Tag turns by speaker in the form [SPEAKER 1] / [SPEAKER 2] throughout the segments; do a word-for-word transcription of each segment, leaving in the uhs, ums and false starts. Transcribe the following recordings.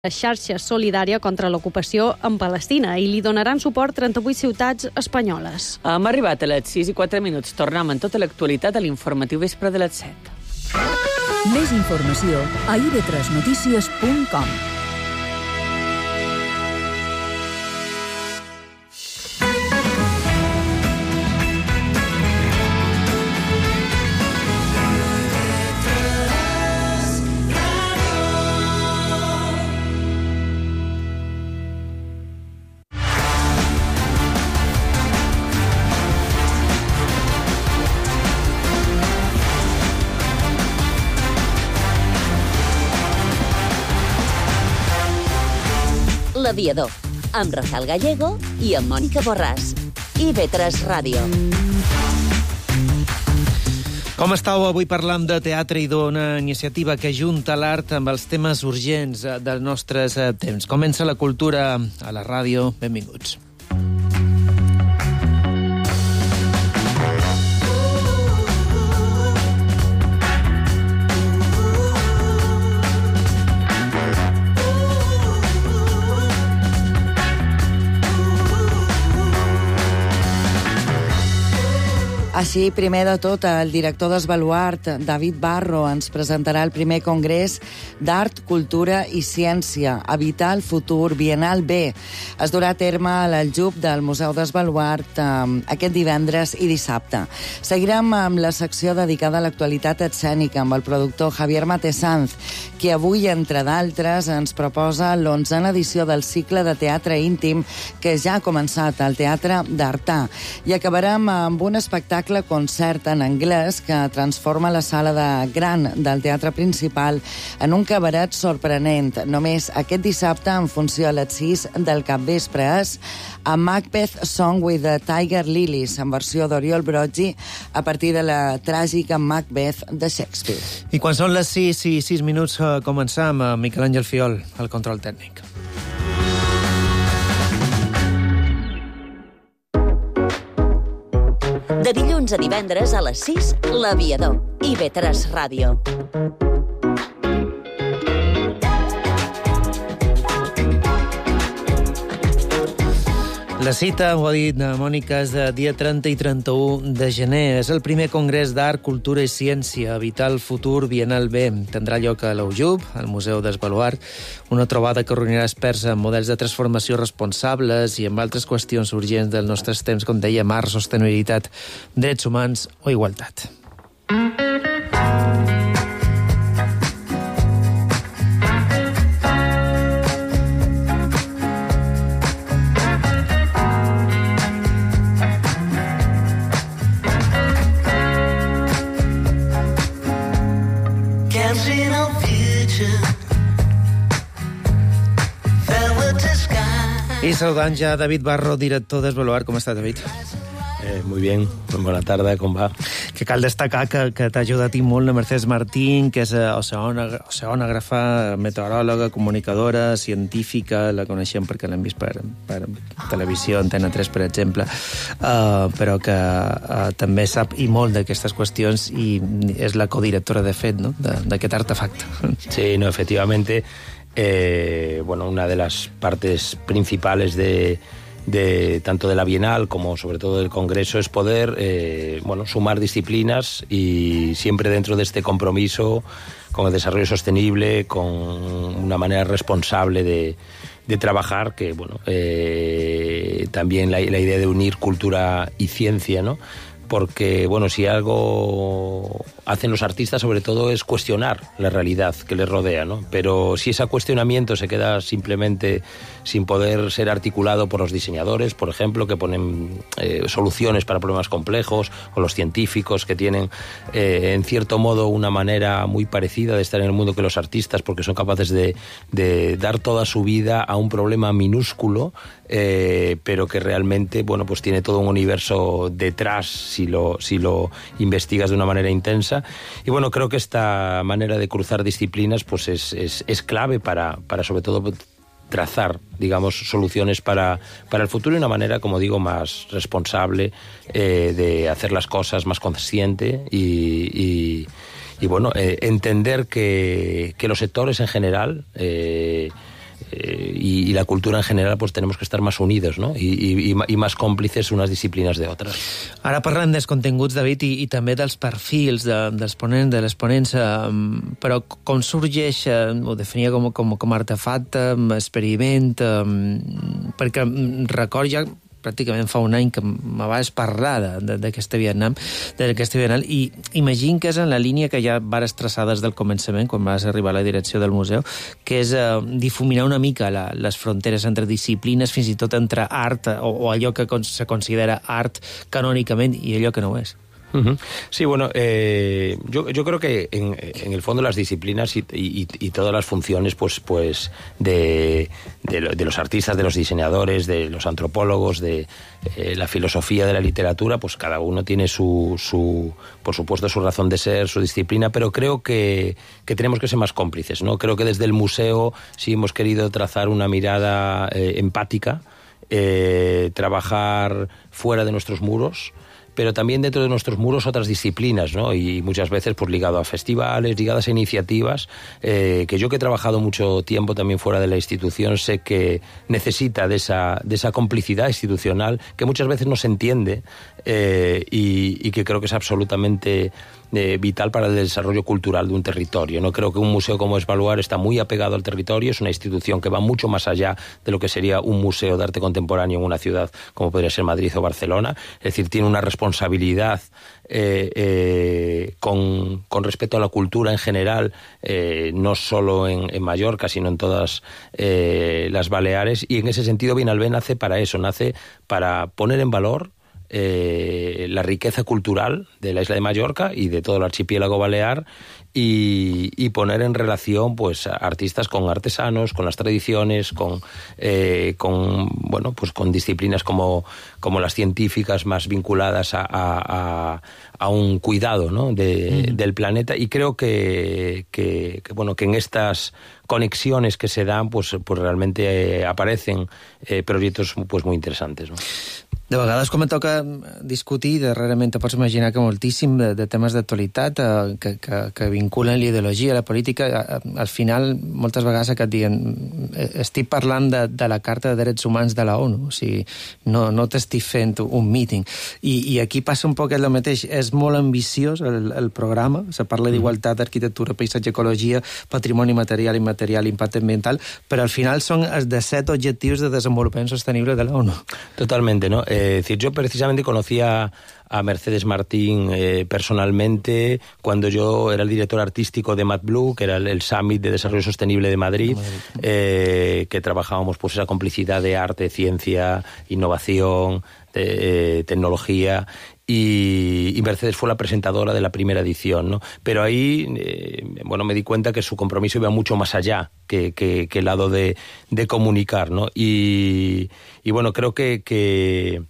[SPEAKER 1] La xarxa solidària contra l'ocupació en Palestina i li donaran suport trenta-vuit ciutats espanyoles.
[SPEAKER 2] Hem arribat a les sis i quatre minuts. Tornem en tota l'actualitat a l'informatiu vespre de les set.
[SPEAKER 3] Més informació a i ve tres notícies punt com.
[SPEAKER 4] L'Aviador, amb Rafael Gallego i amb Mònica Borràs. i ve tres Ràdio.
[SPEAKER 5] Com estàu? Avui parlam de teatre i d'una iniciativa que junta l'art amb els temes urgents dels nostres temps. Comença la cultura a la ràdio. Benvinguts.
[SPEAKER 6] Així, primer de tot, el director d'Esbaluart, David Barro, ens presentarà el primer congrés d'Art, Cultura i Ciència, Habitar el Futur, Bienal B. Es durà a terme a l'Aljub del Museu d'Esbaluart eh, aquest divendres i dissabte. Seguirem amb la secció dedicada a l'actualitat escènica amb el productor Javier Matesanz, qui avui, entre d'altres, ens proposa l'onzena edició del cicle de teatre íntim que ja ha començat al Teatre d'Artà. I acabarem amb un espectacle concert en anglès que transforma la sala de gran del teatre principal en un cabaret sorprenent. Només aquest dissabte, en funció a les sis del capvespre, és a Macbeth Song with the Tiger Lilies, en versió d'Oriol Broggi, a partir de la tràgica Macbeth de Shakespeare.
[SPEAKER 5] I quan són les sis i sis minuts, començam amb Miquel Àngel Fiol, al control tècnic.
[SPEAKER 4] De dilluns a divendres a les sis, l'Aviador. i ve tres Ràdio.
[SPEAKER 5] La cita, ho ha dit Mònica, és de dia trenta i trenta-u de gener. És el primer congrés d'Art, Cultura i Ciència, Habitar el Futur, Bienal B. Tindrà lloc a l'Aljub, al Museu d'Esbaluart, una trobada que reunirà experts en models de transformació responsables i amb altres qüestions urgents dels nostres temps, com deia, art, sostenibilitat, drets humans o igualtat. I saludant ja David Barro, director d'Esbaluart. Com està, David?
[SPEAKER 7] Eh, muy bien, buena tarde, com va?
[SPEAKER 5] Que cal destacar que, que t'ha ajudat i molt la Mercedes Martín, que és oceanògrafa, meteoròloga, comunicadora, científica. La coneixem perquè l'hem vist per, per televisió, Antena tres, per exemple, uh, però que uh, també sap i molt d'aquestes qüestions i és la codirectora, de fet, no?, d'aquest artefacte.
[SPEAKER 7] Sí, no, efectivamente. Eh, bueno, una de las partes principales de, de tanto de la Bienal como sobre todo del Congreso es poder eh, bueno, sumar disciplinas y siempre dentro de este compromiso con el desarrollo sostenible, con una manera responsable de, de trabajar, que bueno, eh, también la, la idea de unir cultura y ciencia, ¿no? Porque, bueno, si algo hacen los artistas, sobre todo, es cuestionar la realidad que les rodea, ¿no? Pero si ese cuestionamiento se queda simplemente sin poder ser articulado por los diseñadores, por ejemplo, que ponen eh, soluciones para problemas complejos, o los científicos que tienen, eh, en cierto modo, una manera muy parecida de estar en el mundo que los artistas, porque son capaces de, de dar toda su vida a un problema minúsculo, eh, pero que realmente, bueno, pues tiene todo un universo detrás si lo, si lo investigas de una manera intensa. Y bueno, creo que esta manera de cruzar disciplinas pues es, es, es clave para, para sobre todo trazar, digamos, soluciones para, para el futuro y una manera, como digo, más responsable eh, de hacer las cosas, más consciente y, y, y bueno, eh, entender que, que los sectores en general eh, y, y la cultura en general, pues tenemos que estar más unidos, ¿no? Y, y, y más còmplices unes disciplines de otras.
[SPEAKER 5] Ara parlem dels continguts, David, i, i també dels perfils de, dels ponents, de les ponents, eh, però com sorgeix, eh, ho definia com, com, com artefacte, experiment, eh, perquè record ja pràcticament fa un any que me vas parlar d'aquesta Vietnam, d'aquesta Bienal, i imagino que és en la línia que ja vares traçar des del començament, quan vas arribar a la direcció del museu, que és eh, difuminar una mica la, les fronteres entre disciplines, fins i tot entre art, o, o allò que se considera art canònicament i allò que no ho és.
[SPEAKER 7] Uh-huh. Sí, bueno, eh, yo, yo creo que en, en el fondo las disciplinas y, y, y todas las funciones pues, pues de, de, de los artistas, de los diseñadores, de los antropólogos, de eh, la filosofía de la literatura, pues cada uno tiene su, su, por supuesto, su razón de ser, su disciplina, pero creo que, que tenemos que ser más cómplices, ¿no? Creo que desde el museo sí hemos querido trazar una mirada eh, empática, eh, trabajar fuera de nuestros muros, pero también dentro de nuestros muros otras disciplinas, ¿no? Y muchas veces pues ligado a festivales, ligadas a iniciativas, eh, que yo que he trabajado mucho tiempo también fuera de la institución sé que necesita de esa, de esa complicidad institucional que muchas veces no se entiende eh, y, y que creo que es absolutamente Eh, vital para el desarrollo cultural de un territorio. No creo que un museo como Es Baluard está muy apegado al territorio, es una institución que va mucho más allá de lo que sería un museo de arte contemporáneo en una ciudad como podría ser Madrid o Barcelona, es decir, tiene una responsabilidad eh, eh, con, con respecto a la cultura en general, eh, no solo en, en Mallorca, sino en todas eh, las Baleares, y en ese sentido Bienalbé nace para eso, nace para poner en valor Eh, la riqueza cultural de la isla de Mallorca y de todo el archipiélago balear y, y poner en relación pues artistas con artesanos, con las tradiciones, con, eh, con bueno pues con disciplinas como, como las científicas más vinculadas a, a, a un cuidado, ¿no? de, mm. del planeta, y creo que, que, que bueno que en estas conexiones que se dan pues, pues realmente eh, aparecen eh, proyectos pues muy interesantes, ¿no?
[SPEAKER 5] De vegades, com et toca discutir, darrerament te pots imaginar que moltíssim de, de temes d'actualitat eh, que, que, que vinculen l'ideologia, la política, eh, al final, moltes vegades que et diuen estic parlant de, de la Carta de Drets Humans de la ONU, o sigui, no, no t'estic fent un meeting. I, i aquí passa un poc el mateix, és molt ambiciós el, el programa, se parla d'igualtat, arquitectura, paisatge, ecologia, patrimoni material, immaterial, impacte ambiental, però al final són els de set objectius de desenvolupament sostenible de la ONU.
[SPEAKER 7] Totalmente, ¿no? Eh, Es decir, yo precisamente conocía a Mercedes Martín eh, personalmente cuando yo era el director artístico de MadBlue, que era el, el Summit de Desarrollo Sostenible de Madrid, eh, que trabajábamos pues esa complicidad de arte, ciencia, innovación, de, eh, tecnología. Y, y Mercedes fue la presentadora de la primera edición, ¿no? Pero ahí, eh, bueno, me di cuenta que su compromiso iba mucho más allá que, que, que el lado de, de comunicar, ¿no? Y, y bueno, creo que, que,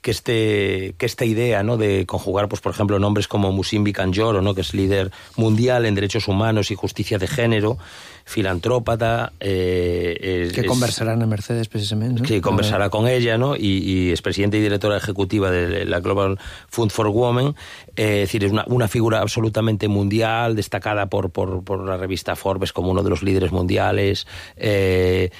[SPEAKER 7] que, este, que esta idea, ¿no? De conjugar, pues por ejemplo, nombres como Musimbi Kanjoro, ¿no? Que es líder mundial en derechos humanos y justicia de género, filantrópata. Eh, es,
[SPEAKER 5] que conversarán en Mercedes, precisamente, ¿no?
[SPEAKER 7] Que conversará con ella, ¿no? Y, y es presidenta y directora ejecutiva de la Global Fund for Women. Eh, es decir, es una, una figura absolutamente mundial, destacada por, por, por la revista Forbes como uno de los líderes mundiales. Eh,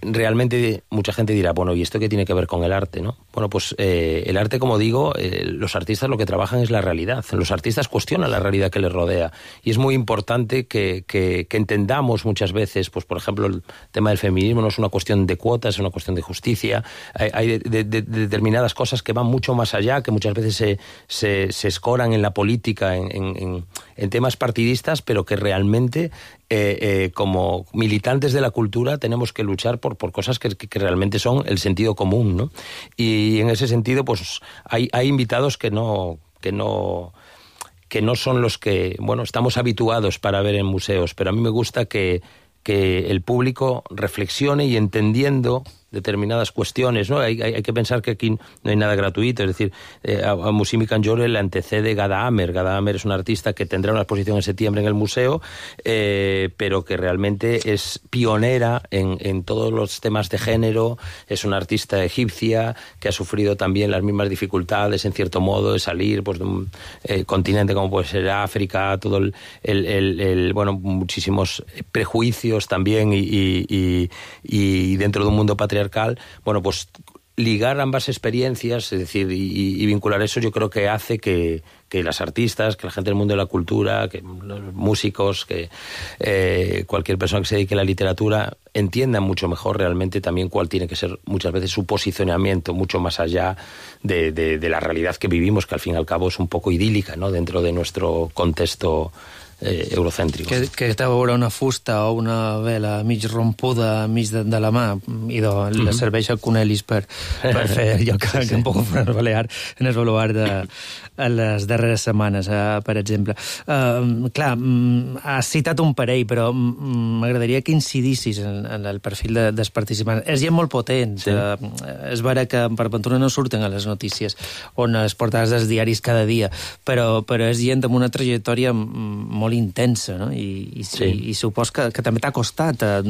[SPEAKER 7] realmente mucha gente dirá, bueno, ¿y esto qué tiene que ver con el arte, no? Bueno, pues eh, el arte, como digo, eh, los artistas lo que trabajan es la realidad. Los artistas cuestionan la realidad que les rodea. Y es muy importante que, que, que entendamos muchas veces, pues por ejemplo, el tema del feminismo no es una cuestión de cuotas, es una cuestión de justicia. Hay, hay de, de, de determinadas cosas que van mucho más allá, que muchas veces se, se, se escoran en la política, en, en, en temas partidistas, pero que realmente eh, eh, como militantes de la cultura tenemos que luchar por, por cosas que, que realmente son el sentido común, ¿no? Y en ese sentido, pues hay, hay invitados que no, que no, que no son los que, bueno, estamos habituados para ver en museos, pero a mí me gusta que, que el público reflexione y entendiendo determinadas cuestiones, ¿no? Hay, hay, hay que pensar que aquí no hay nada gratuito, es decir, eh, a, a Mussimi Kanjore le antecede Gada Amer. Gada Amer es un artista que tendrá una exposición en septiembre en el museo, eh, pero que realmente es pionera en, en todos los temas de género, es una artista egipcia que ha sufrido también las mismas dificultades, en cierto modo, de salir pues, de un eh, continente como puede ser África, todo el, el, el, el bueno, muchísimos prejuicios también y, y, y, y dentro de un mundo patriarcal, bueno, pues ligar ambas experiencias, es decir, y, y vincular eso, yo creo que hace que, que las artistas, que la gente del mundo de la cultura, que los músicos, que eh, cualquier persona que se dedique a la literatura entiendan mucho mejor realmente también cuál tiene que ser muchas veces su posicionamiento, mucho más allá de, de, de la realidad que vivimos, que al fin y al cabo es un poco idílica, ¿no?, dentro de nuestro contexto eh, eurocèntric.
[SPEAKER 5] Que, que té a veure una fusta o una vela mig rompuda mig de, de la mà i de, mm-hmm. le serveix a Cunelis per, per fer allò que, sí, sí. que un poc en el Balear, en el Baluard de a les darreres setmanes, eh, per exemple. Uh, clar, has citat un parell, però m'agradaria que incidissis en, en el perfil de, dels participants. És gent molt potent. Sí. Uh, és vera que per ventura no surten a les notícies on es portades dels diaris cada dia, però, però és gent amb una trajectòria molt intensa, no? I, i, sí. i, i supos que, que també t'ha costat uh,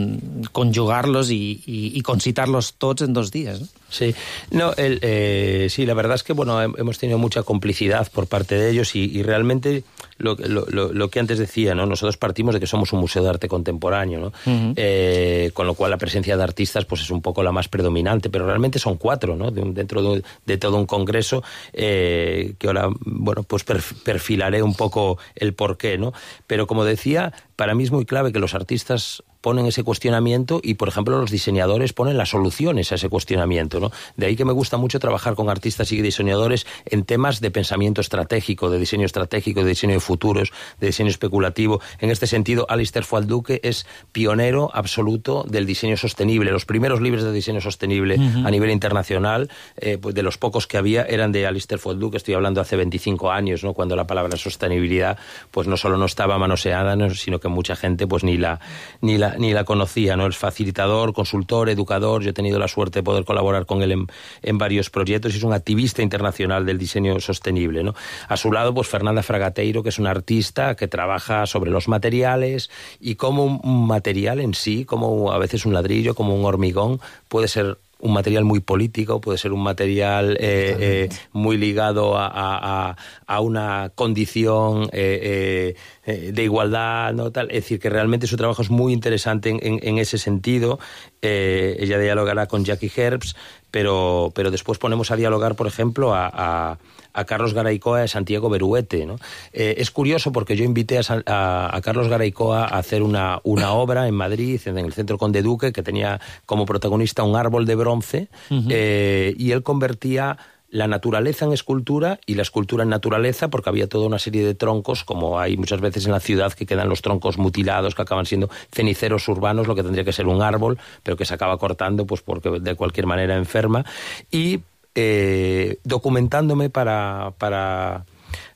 [SPEAKER 5] conjugar-los i, i, i concitar-los tots en dos dies, no?
[SPEAKER 7] Sí, no, el, eh, sí, la verdad es que bueno, hemos tenido mucha complicidad por parte de ellos y, y realmente lo, lo, lo que antes decía, ¿no? Nosotros partimos de que somos un museo de arte contemporáneo, ¿no? Uh-huh. eh, con lo cual la presencia de artistas pues es un poco la más predominante, pero realmente son cuatro, ¿no? De un, dentro de, de todo un congreso eh, que ahora, bueno, pues perfilaré un poco el porqué, ¿no? Pero como decía, para mí es muy clave que los artistas ponen ese cuestionamiento y, por ejemplo, los diseñadores ponen las soluciones a ese cuestionamiento, ¿no? De ahí que me gusta mucho trabajar con artistas y diseñadores en temas de pensamiento estratégico, de diseño estratégico, de diseño de futuros, de diseño especulativo. En este sentido, Alistair Fuad-Duque es pionero absoluto del diseño sostenible. Los primeros libros de diseño sostenible uh-huh. a nivel internacional, eh, pues de los pocos que había, eran de Alistair Fuad-Duque. Estoy hablando hace veinticinco años, ¿no? Cuando la palabra sostenibilidad pues no solo no estaba manoseada, ¿no? Sino que mucha gente pues ni la ni la ni la conocía, ¿no? Es facilitador, consultor, educador. Yo he tenido la suerte de poder colaborar con él en, en varios proyectos y es un activista internacional del diseño sostenible, ¿no? A su lado, pues Fernanda Fragateiro, que es una artista que trabaja sobre los materiales y cómo un material en sí, como a veces un ladrillo, como un hormigón, puede ser un material muy político, puede ser un material eh, eh, muy ligado a, a, a una condición eh, eh, de igualdad, ¿no? Tal. Es decir, que realmente su trabajo es muy interesante en, en, en ese sentido. Eh, ella dialogará con Jackie Herbst, pero, pero después ponemos a dialogar, por ejemplo, a, a, a Carlos Garaycoa y a Santiago Beruete, ¿no? Eh, es curioso porque yo invité a, a, a Carlos Garaycoa a hacer una, una obra en Madrid, en el Centro Conde Duque, que tenía como protagonista un árbol de bronce, uh-huh. eh, y él convertía la naturaleza en escultura y la escultura en naturaleza, porque había toda una serie de troncos, como hay muchas veces en la ciudad, que quedan los troncos mutilados, que acaban siendo ceniceros urbanos, lo que tendría que ser un árbol, pero que se acaba cortando pues porque de cualquier manera enferma. Y eh, documentándome para... para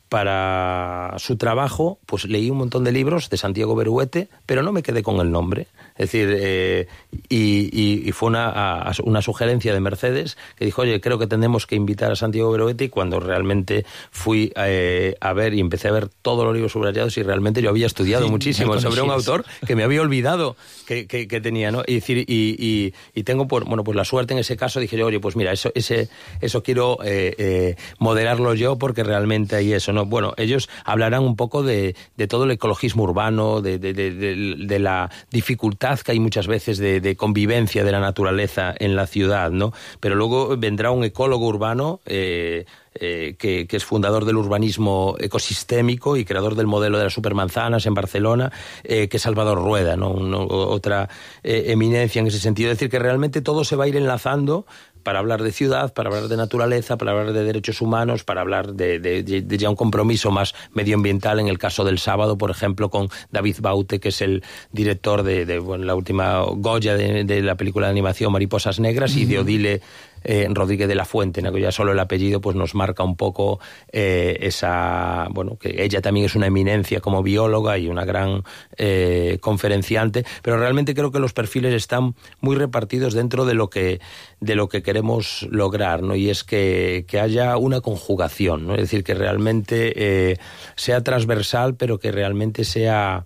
[SPEAKER 7] para su trabajo, pues leí un montón de libros de Santiago Beruete, pero no me quedé con el nombre. Es decir, eh, y, y, y fue una, a, una sugerencia de Mercedes que dijo, oye, creo que tenemos que invitar a Santiago Beruete, y cuando realmente fui eh, a ver y empecé a ver todos los libros subrayados y realmente yo había estudiado sí, muchísimo sobre un autor que me había olvidado que, que, que tenía, ¿no? Y, decir, y, y, y tengo, por, bueno, pues la suerte en ese caso, dije, oye, pues mira, eso, ese, eso quiero eh, eh, moderarlo yo porque realmente hay eso, ¿no? Bueno, ellos hablarán un poco de, de todo el ecologismo urbano, de, de, de, de, de la dificultad que hay muchas veces de, de convivencia de la naturaleza en la ciudad, ¿no? Pero luego vendrá un ecólogo urbano eh, eh, que, que es fundador del urbanismo ecosistémico y creador del modelo de las supermanzanas en Barcelona, eh, que es Salvador Rueda, ¿no? Uno, otra eh, eminencia en ese sentido. Es decir, que realmente todo se va a ir enlazando para hablar de ciudad, para hablar de naturaleza, para hablar de derechos humanos, para hablar de, de, de, de ya un compromiso más medioambiental, en el caso del sábado, por ejemplo, con David Baute, que es el director de, de bueno, la última Goya de, de la película de animación Mariposas Negras, uh-huh. y de Odile eh, Rodríguez de la Fuente, ¿no? Que ya solo el apellido pues nos marca un poco eh, esa, bueno, que ella también es una eminencia como bióloga y una gran eh, conferenciante, pero realmente creo que los perfiles están muy repartidos dentro de lo que de lo que queremos lograr, ¿no? Y es que, que haya una conjugación, ¿no? Es decir, que realmente eh, sea transversal, pero que realmente sea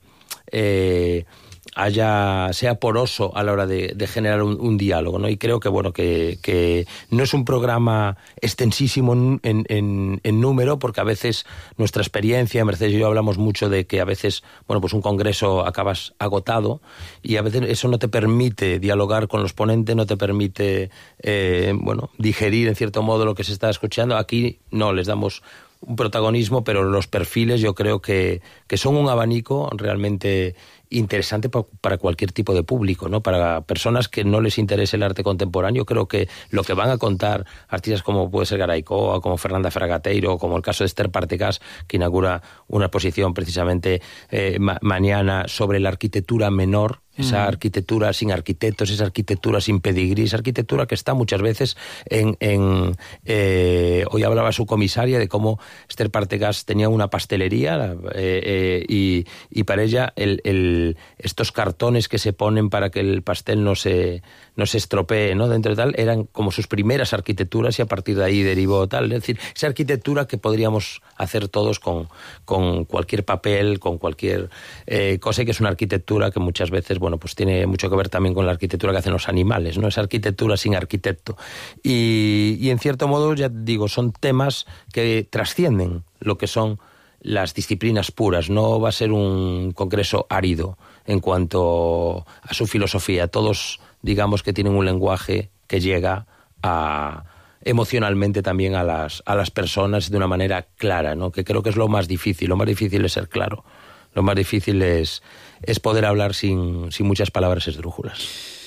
[SPEAKER 7] eh, haya sea poroso a la hora de, de generar un, un diálogo, ¿no? Y creo que bueno que, que no es un programa extensísimo en, en, en número, porque a veces nuestra experiencia, Mercedes y yo hablamos mucho de que a veces bueno pues un congreso acabas agotado y a veces eso no te permite dialogar con los ponentes, no te permite eh, bueno digerir en cierto modo lo que se está escuchando. Aquí no, les damos un protagonismo, pero los perfiles yo creo que, que son un abanico realmente interesante pa, para cualquier tipo de público, ¿no? Para personas que no les interese el arte contemporáneo, creo que lo que van a contar artistas como puede ser Garaycoa, como Fernanda Fragateiro, como el caso de Esther Partecas, que inaugura una exposición precisamente eh, ma mañana sobre la arquitectura menor, esa arquitectura sin arquitectos, esa arquitectura sin pedigrí, esa arquitectura que está muchas veces en... en eh, hoy hablaba su comisaria de cómo Esther Partecas tenía una pastelería eh, eh, y, y para ella el, el, estos cartones que se ponen para que el pastel no se, no se estropee, ¿no? Dentro de tal, eran como sus primeras arquitecturas y a partir de ahí derivó tal. Es decir, esa arquitectura que podríamos hacer todos con, con cualquier papel, con cualquier eh, cosa, que es una arquitectura que muchas veces, bueno, pues tiene mucho que ver también con la arquitectura que hacen los animales, ¿no? Esa arquitectura sin arquitecto. Y, y en cierto modo, ya digo, son temas que trascienden lo que son las disciplinas puras. No va a ser un congreso árido en cuanto a su filosofía. Todos, digamos, que tienen un lenguaje que llega a emocionalmente también a las, a las personas de una manera clara, ¿no? Que creo que es lo más difícil. Lo más difícil es ser claro. Lo más difícil és, és poder hablar sin, sin muchas palabras esdrújulas.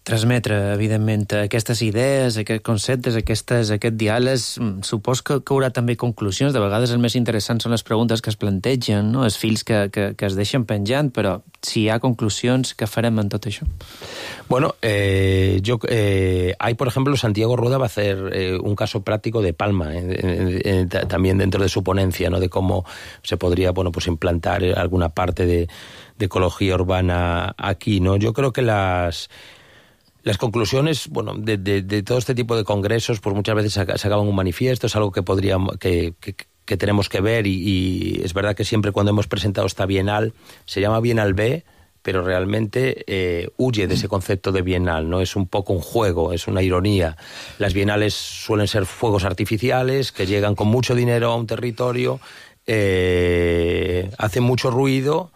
[SPEAKER 5] Transmetre, evidentment, aquestes idees, aquests conceptes, aquestes, aquest diàleg, supos que, que haurà també conclusions. De vegades el més interessant són les preguntes que es plantegen, no? Els fils que, que, que es deixen penjant, però si hi ha conclusions, què farem en tot això?
[SPEAKER 7] Bueno, eh, yo, eh, hay, por ejemplo, Santiago Rueda va a hacer eh, un caso práctico de Palma, eh, eh, eh, también dentro de su ponencia, ¿no? De cómo se podría, bueno, pues implantar alguna parte de, de ecología urbana aquí, ¿no? Yo creo que las... Las conclusiones, bueno, de, de, de todo este tipo de congresos, pues muchas veces sacaban un manifiesto, es algo que podríamos, que, que, que tenemos que ver y, y es verdad que siempre cuando hemos presentado esta Bienal, se llama Bienal B, pero realmente eh, huye de ese concepto de bienal, ¿no? Es un poco un juego, es una ironía. Las bienales suelen ser fuegos artificiales que llegan con mucho dinero a un territorio, eh, hacen mucho ruido,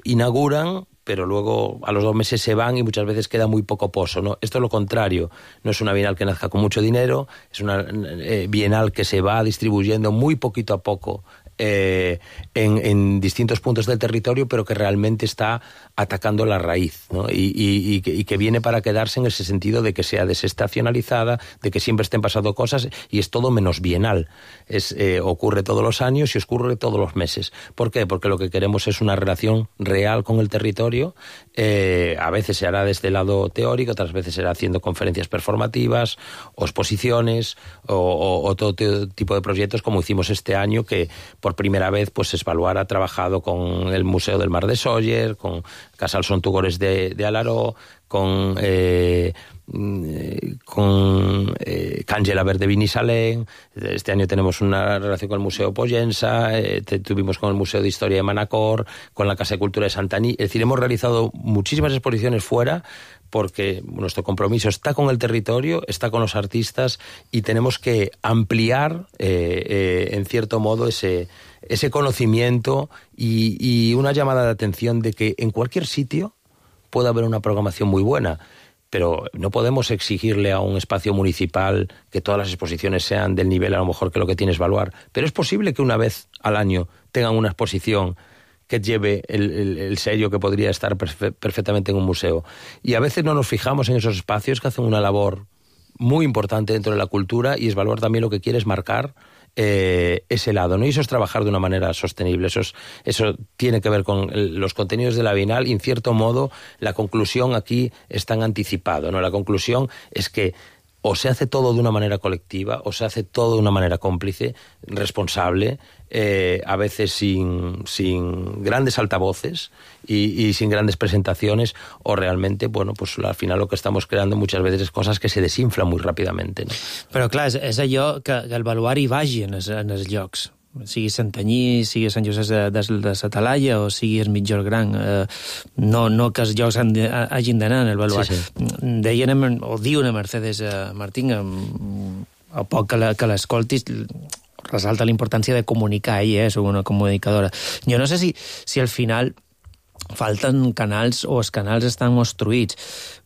[SPEAKER 7] inauguran, pero luego a los dos meses se van y muchas veces queda muy poco pozo, ¿no? Esto es lo contrario, no es una bienal que nazca con mucho dinero, es una eh, bienal que se va distribuyendo muy poquito a poco eh, en, en distintos puntos del territorio, pero que realmente está atacando la raíz, ¿no? Y, y, y, que, y que viene para quedarse en ese sentido de que sea desestacionalizada, de que siempre estén pasando cosas y es todo menos bienal. Es, eh, ocurre todos los años y ocurre todos los meses. ¿Por qué? Porque lo que queremos es una relación real con el territorio. Eh, a veces se hará desde el lado teórico, otras veces será haciendo conferencias performativas o exposiciones o, o, o todo tipo de proyectos como hicimos este año, que por primera vez pues Esvaluar ha trabajado con el Museo del Mar de Sóller, con Casal Sontugores de, de Alaró, con eh, con eh, Càngela Verde Binissalén. Este año tenemos una relación con el Museo Pollensa, eh, tuvimos con el Museo de Historia de Manacor, con la Casa de Cultura de Santaní. Es decir, hemos realizado muchísimas exposiciones fuera porque nuestro compromiso está con el territorio, está con los artistas y tenemos que ampliar eh, eh, en cierto modo ese, ese conocimiento y, y una llamada de atención de que en cualquier sitio puede haber una programación muy buena, pero no podemos exigirle a un espacio municipal que todas las exposiciones sean del nivel a lo mejor que lo que tiene Esvaluar, pero es posible que una vez al año tengan una exposición que lleve el, el, el sello que podría estar perfe- perfectamente en un museo. Y a veces no nos fijamos en esos espacios que hacen una labor muy importante dentro de la cultura y Esvaluar también lo que quiere es marcar eh, ese lado, ¿no? Y eso es trabajar de una manera sostenible. Eso, es, eso tiene que ver con el, los contenidos de la Bienal y en cierto modo la conclusión aquí es tan anticipado, ¿no? La conclusión es que o se hace todo de una manera colectiva, o se hace todo de una manera cómplice, responsable, eh, a veces sin, sin grandes altavoces y, y sin grandes presentaciones, o realmente, bueno, pues al final lo que estamos creando muchas veces es cosas que se desinflan muy rápidamente, no?
[SPEAKER 5] Però clar, és, és allò que, que el baluart hi vagi en els, en els llocs. Sigui Santanyí, sigui Sant Josep de, de, de la Talaia o sigui el Mitjor Gran, eh, no, no que els llocs han de, hagin d'anar en el baluart. Sí, sí. Deien, o diuen a Mercedes eh, Martín, a poc que, la, que l'escoltis, resalta la importància de comunicar, ella és una comunicadora. Jo no sé si, si al final falten canals o els canals estan obstruïts,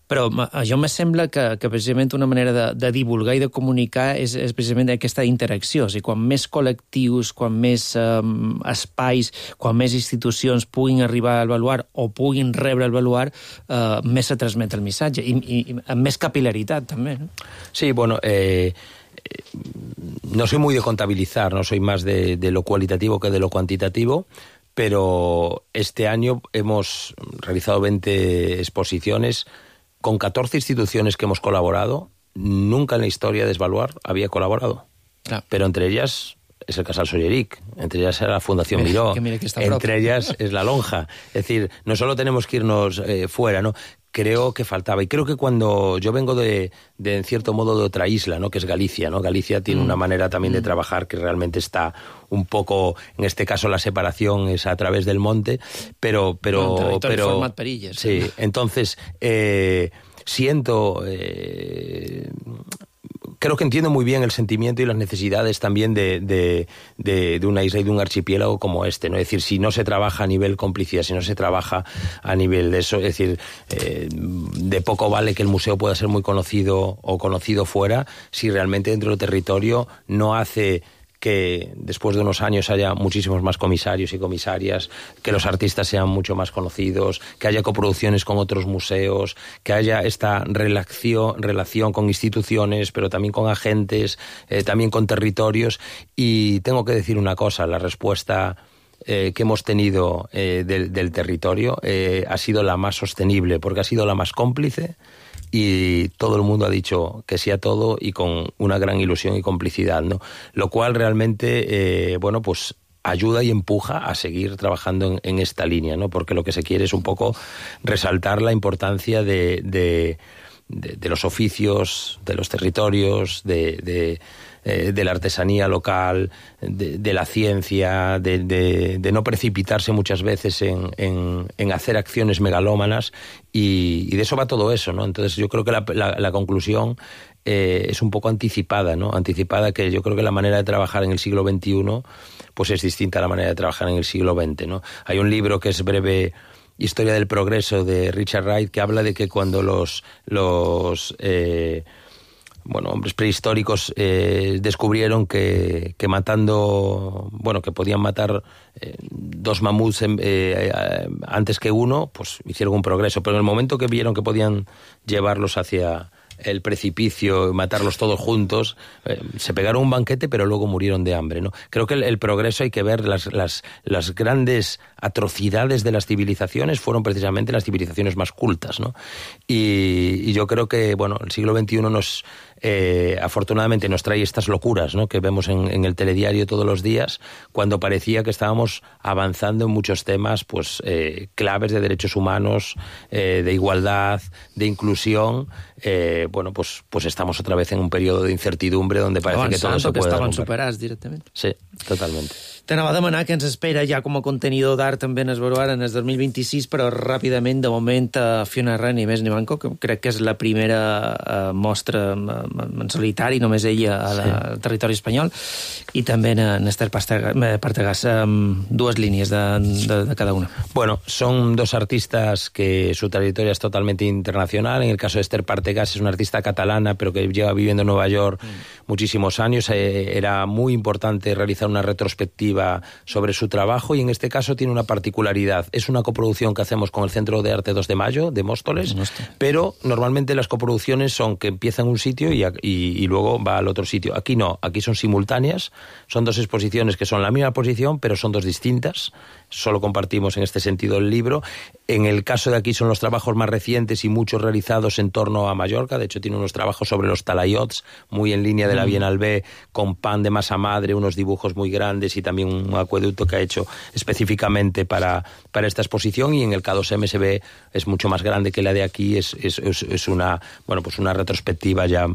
[SPEAKER 5] però a jo me sembla que, que precisament una manera de, de divulgar i de comunicar és, és precisament aquesta interacció. O sigui, quan més col·lectius, quan més um, espais, quan més institucions puguin arribar al baluart o puguin rebre el baluart, uh, més se transmet el missatge. I, i, i amb més capilaritat, també, no?
[SPEAKER 7] Sí, bueno... Eh... No soy muy de contabilizar, no soy más de, de lo cualitativo que de lo cuantitativo, pero este año hemos realizado veinte exposiciones con catorce instituciones que hemos colaborado. Nunca en la historia de Esbaluar había colaborado, ah. pero entre ellas es el Casal Solleric, entre ellas es la Fundación mira, Miró, mira entre propio. ellas es la Lonja. Es decir, no solo tenemos que irnos eh, fuera, ¿no? Creo que faltaba. Y creo que cuando yo vengo de, de, en cierto modo, de otra isla, ¿no? Que es Galicia, ¿no? Galicia tiene mm. una manera también mm. de trabajar que realmente está un poco, en este caso la separación es a través del monte, pero... pero,
[SPEAKER 5] no,
[SPEAKER 7] pero
[SPEAKER 5] format perillas.
[SPEAKER 7] Sí, ¿sí? Entonces, eh, siento... Eh, creo que entiendo muy bien el sentimiento y las necesidades también de, de, de, de una isla y de un archipiélago como este, ¿no? Es decir, si no se trabaja a nivel complicidad, si no se trabaja a nivel de eso, es decir, eh, de poco vale que el museo pueda ser muy conocido o conocido fuera si realmente dentro del territorio no hace que después de unos años haya muchísimos más comisarios y comisarias, que los artistas sean mucho más conocidos, que haya coproducciones con otros museos, que haya esta relación, relación con instituciones, pero también con agentes, eh, también con territorios. Y tengo que decir una cosa, la respuesta eh, que hemos tenido eh, del, del territorio eh, ha sido la más sostenible, porque ha sido la más cómplice, y todo el mundo ha dicho que sí a todo y con una gran ilusión y complicidad, ¿no? Lo cual realmente, eh, bueno, pues ayuda y empuja a seguir trabajando en, en esta línea, ¿no? Porque lo que se quiere es un poco resaltar la importancia de, de, de, de los oficios, de los territorios, de... de de la artesanía local, de, de la ciencia, de, de, de no precipitarse muchas veces en, en, en hacer acciones megalómanas, y, y de eso va todo eso, ¿no? Entonces yo creo que la, la, la conclusión eh, es un poco anticipada, ¿no? Anticipada, que yo creo que la manera de trabajar en el siglo veintiuno pues es distinta a la manera de trabajar en el siglo veinte, ¿no? Hay un libro que es Breve Historia del Progreso, de Richard Wright, que habla de que cuando los... los eh, bueno, hombres prehistóricos eh, descubrieron que, que matando, bueno, que podían matar eh, dos mamuts eh, eh, antes que uno, pues hicieron un progreso. Pero en el momento que vieron que podían llevarlos hacia el precipicio y matarlos todos juntos, eh, se pegaron un banquete, pero luego murieron de hambre, ¿no? Creo que el, el progreso, hay que ver las, las, las grandes atrocidades de las civilizaciones fueron precisamente las civilizaciones más cultas, ¿no? Y, y yo creo que, bueno, el siglo veintiuno nos... Eh, afortunadamente nos trae estas locuras, ¿no? Que vemos en, en el telediario todos los días, cuando parecía que estábamos avanzando en muchos temas, pues eh, claves de derechos humanos, eh, de igualdad, de inclusión. Eh, bueno, pues, pues estamos otra vez en un periodo de incertidumbre donde parece Avançant, que todo se puede
[SPEAKER 5] estaven superats directament.
[SPEAKER 7] Sí, totalmente.
[SPEAKER 5] T'anava a demanar què ens espera ja com a contenidor d'art també en Esbaluar en el dos mil vint-i-sis, però ràpidament, de moment, a Fiona Ren i més ni manco, que crec que és la primera uh, mostra en solitari, només ella a la, sí. al territori espanyol, i també en Esther Partegàs. Um, dues línies de, de, de cada una.
[SPEAKER 7] Bueno, son dos artistas que su trayectoria es totalmente internacional. En el caso de Esther Partegàs es una artista catalana, pero que lleva viviendo en Nueva York mm. muchísimos años. Eh, era muy importante realizar una retrospectiva sobre su trabajo, y en este caso tiene una particularidad. Es una coproducción que hacemos con el Centro de Arte dos de Mayo de Móstoles, pero normalmente las coproducciones son que empiezan en un sitio y, y, y luego va al otro sitio. Aquí no, aquí son simultáneas, son dos exposiciones que son la misma exposición, pero son dos distintas. Solo compartimos en este sentido el libro. En el caso de aquí son los trabajos más recientes y muchos realizados en torno a Mallorca. De hecho, tiene unos trabajos sobre los talaiots, muy en línea de la Bienal B, con pan de masa madre, unos dibujos muy grandes y también un acueducto que ha hecho específicamente para, para esta exposición. Y en el K dos M se ve, es mucho más grande que la de aquí, es, es, es una, bueno, pues una retrospectiva ya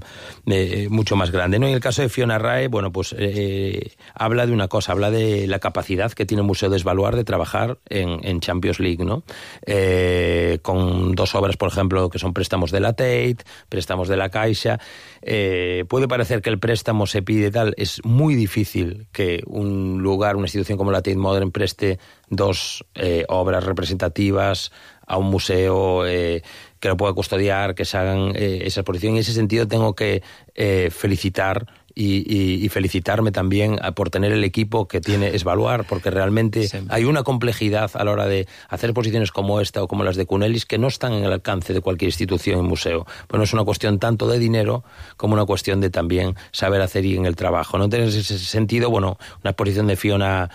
[SPEAKER 7] eh, mucho más grande, ¿no? En el caso de Fiona Rae, bueno, pues eh, habla de una cosa, habla de la capacidad que tiene el Museo de Esbaluar de trabajar en, en Champions League, ¿no? Eh, con dos obras, por ejemplo, que son préstamos de la Tate, préstamos de la Caixa. Eh, puede parecer que el préstamo se pide tal, es muy difícil que un lugar, una institución como la Tate Modern preste dos eh, obras representativas a un museo eh, que lo pueda custodiar, que se hagan eh, esa exposición. En ese sentido tengo que eh, felicitar Y, y, y felicitarme también por tener el equipo que tiene Esbaluar, porque realmente sí. hay una complejidad a la hora de hacer exposiciones como esta o como las de Cunelis que no están en el alcance de cualquier institución y museo. Pues no es una cuestión tanto de dinero como una cuestión de también saber hacer y en el trabajo, ¿no? En ese sentido, bueno, una exposición de Fiona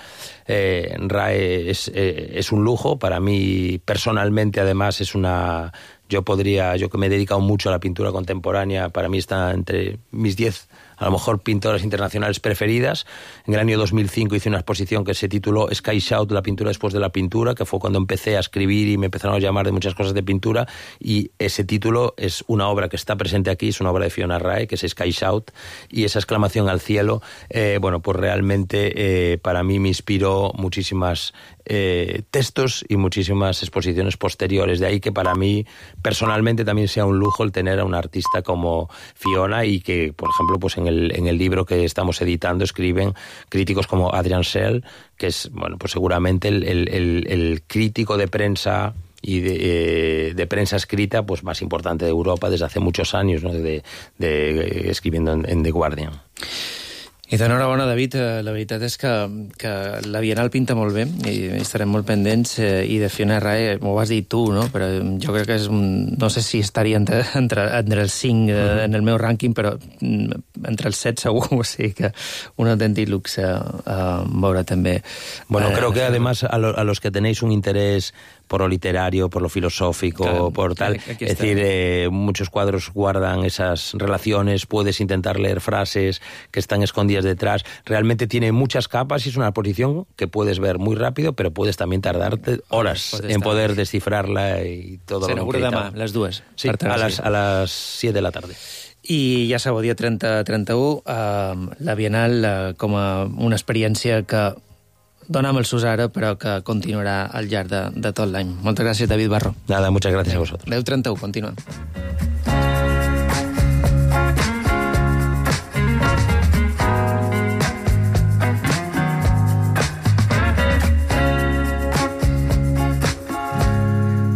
[SPEAKER 7] eh, Rae es, eh, es un lujo. Para mí, personalmente, además, es una... Yo podría, yo que me he dedicado mucho a la pintura contemporánea, para mí está entre mis diez, a lo mejor, pintoras internacionales preferidas. En el año dos mil cinco hice una exposición que se tituló Sky Shout, la pintura después de la pintura, que fue cuando empecé a escribir y me empezaron a llamar de muchas cosas de pintura, y ese título es una obra que está presente aquí, es una obra de Fiona Rae, que es Sky Shout, y esa exclamación al cielo, eh, bueno, pues realmente eh, para mí me inspiró muchísimas eh, textos y muchísimas exposiciones posteriores. De ahí que para mí personalmente también sea un lujo el tener a una artista como Fiona, y que, por ejemplo, pues en el, en el libro que estamos editando escriben críticos como Adrian Schell, que es, bueno, pues seguramente el, el, el, el crítico de prensa y de, eh, de prensa escrita pues más importante de Europa desde hace muchos años, ¿no? de, de, de, escribiendo en, en The Guardian.
[SPEAKER 5] I d'enhorabona, David. La veritat és que, que la Bienal pinta molt bé i estarem molt pendents, eh, i de Fiona Rae m'ho vas dir tu, no? Però jo crec que és un... No sé si estaria entre, entre, entre els cinc uh-huh. en el meu rànquing, però entre els set segur, o sigui que un autèntic luxe uh, veure també.
[SPEAKER 7] Bueno,
[SPEAKER 5] uh,
[SPEAKER 7] creo que además a, lo, a los que tenéis un interés por lo literario, por lo filosófico, claro, por tal. Es decir, eh, muchos cuadros guardan esas relaciones, puedes intentar leer frases que están escondidas detrás. Realmente tiene muchas capas y es una exposición que puedes ver muy rápido, pero puedes también tardarte horas en poder descifrarla y todo.
[SPEAKER 5] Se
[SPEAKER 7] lo
[SPEAKER 5] que demà, les dues.
[SPEAKER 7] Sí, a las, a las siete de la tarde.
[SPEAKER 5] I ja sabeu, dia trenta trenta-u, eh, la Bienal eh, com a una experiència que donam el sus ara, però que continuarà al llarg de, de tot l'any. Moltes gràcies, David Barro.
[SPEAKER 7] Nada, muchas gracias a vosotros.
[SPEAKER 5] deu trenta-u, continuem.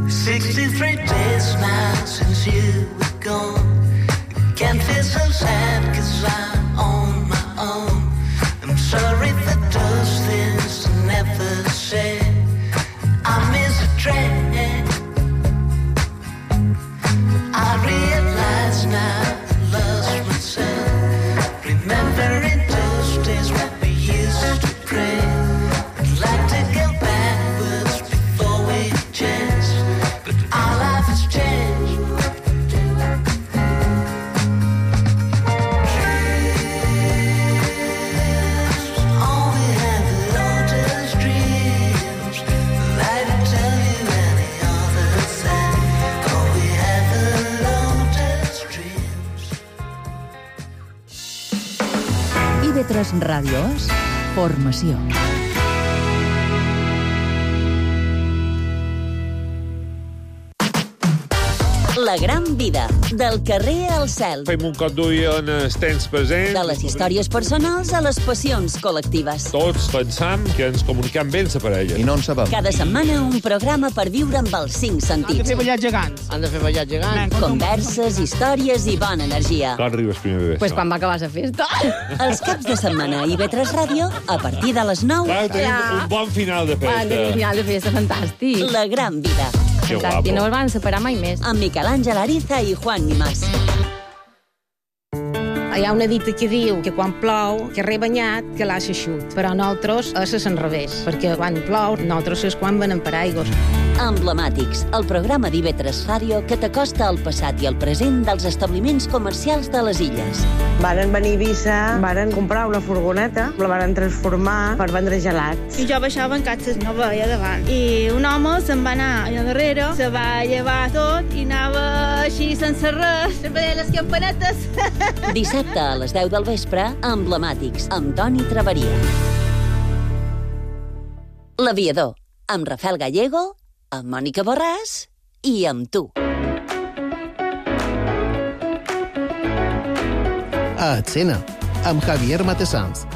[SPEAKER 8] sixty-three days now since you were gone. Can't feel so sad 'cause I'm on my own. I'm sorry for those things I never said. I miss a train. I realize now I lost myself. Remembering those days when we used to pray. I'd like to go backwards before we chance, but our life has changed.
[SPEAKER 3] I V tres Ràdio és formació.
[SPEAKER 4] La gran vida, del carrer al cel.
[SPEAKER 9] Fem un cop d'ull en els temps presents.
[SPEAKER 4] De les històries personals a les passions col·lectives.
[SPEAKER 9] Tots pensam que ens comuniquem bé la parella.
[SPEAKER 10] I no en sabem.
[SPEAKER 4] Cada setmana un programa per viure amb els cinc sentits.
[SPEAKER 11] Han de fer ballar gegants.
[SPEAKER 12] Han de fer ballar gegants.
[SPEAKER 4] Converses, històries i bona energia.
[SPEAKER 9] Quan arribes primer bebè?
[SPEAKER 11] Pues quan va acabar la festa.
[SPEAKER 4] Els caps de setmana a I V tres Ràdio, a partir de les nou.
[SPEAKER 9] Clar, tenim ja. un bon final de festa.
[SPEAKER 11] Tenim un final de festa fantàstic.
[SPEAKER 4] La gran vida.
[SPEAKER 11] Fantàstic, no el van separar mai més.
[SPEAKER 4] Amb Miquel Àngel Ariza i Juan Nimás.
[SPEAKER 10] Hi ha una dita que diu que quan plou, que rebanyat, que l'ha s'eixut. Però nosaltres és l'enrevés, perquè quan plou, nosaltres és quan venen per aigües.
[SPEAKER 4] Emblemàtics, el programa d'I V tres Ràdio que t'acosta al passat i al present dels establiments comercials de les illes.
[SPEAKER 12] Varen venir a Eivissa, varen comprar una furgoneta, la varen transformar per vendre gelats.
[SPEAKER 13] I jo baixava en catxes, no veia davant. I un home se'n va anar allà darrere, se va llevar tot i anava així sense res, sempre deia les campanetes.
[SPEAKER 4] Dissabte a les deu del vespre, Emblemàtics, amb Toni Traveria. L'Aviador, amb Rafael Gallego, amb Mònica Borràs i amb tu.
[SPEAKER 14] A Escena, amb Javier Matessans.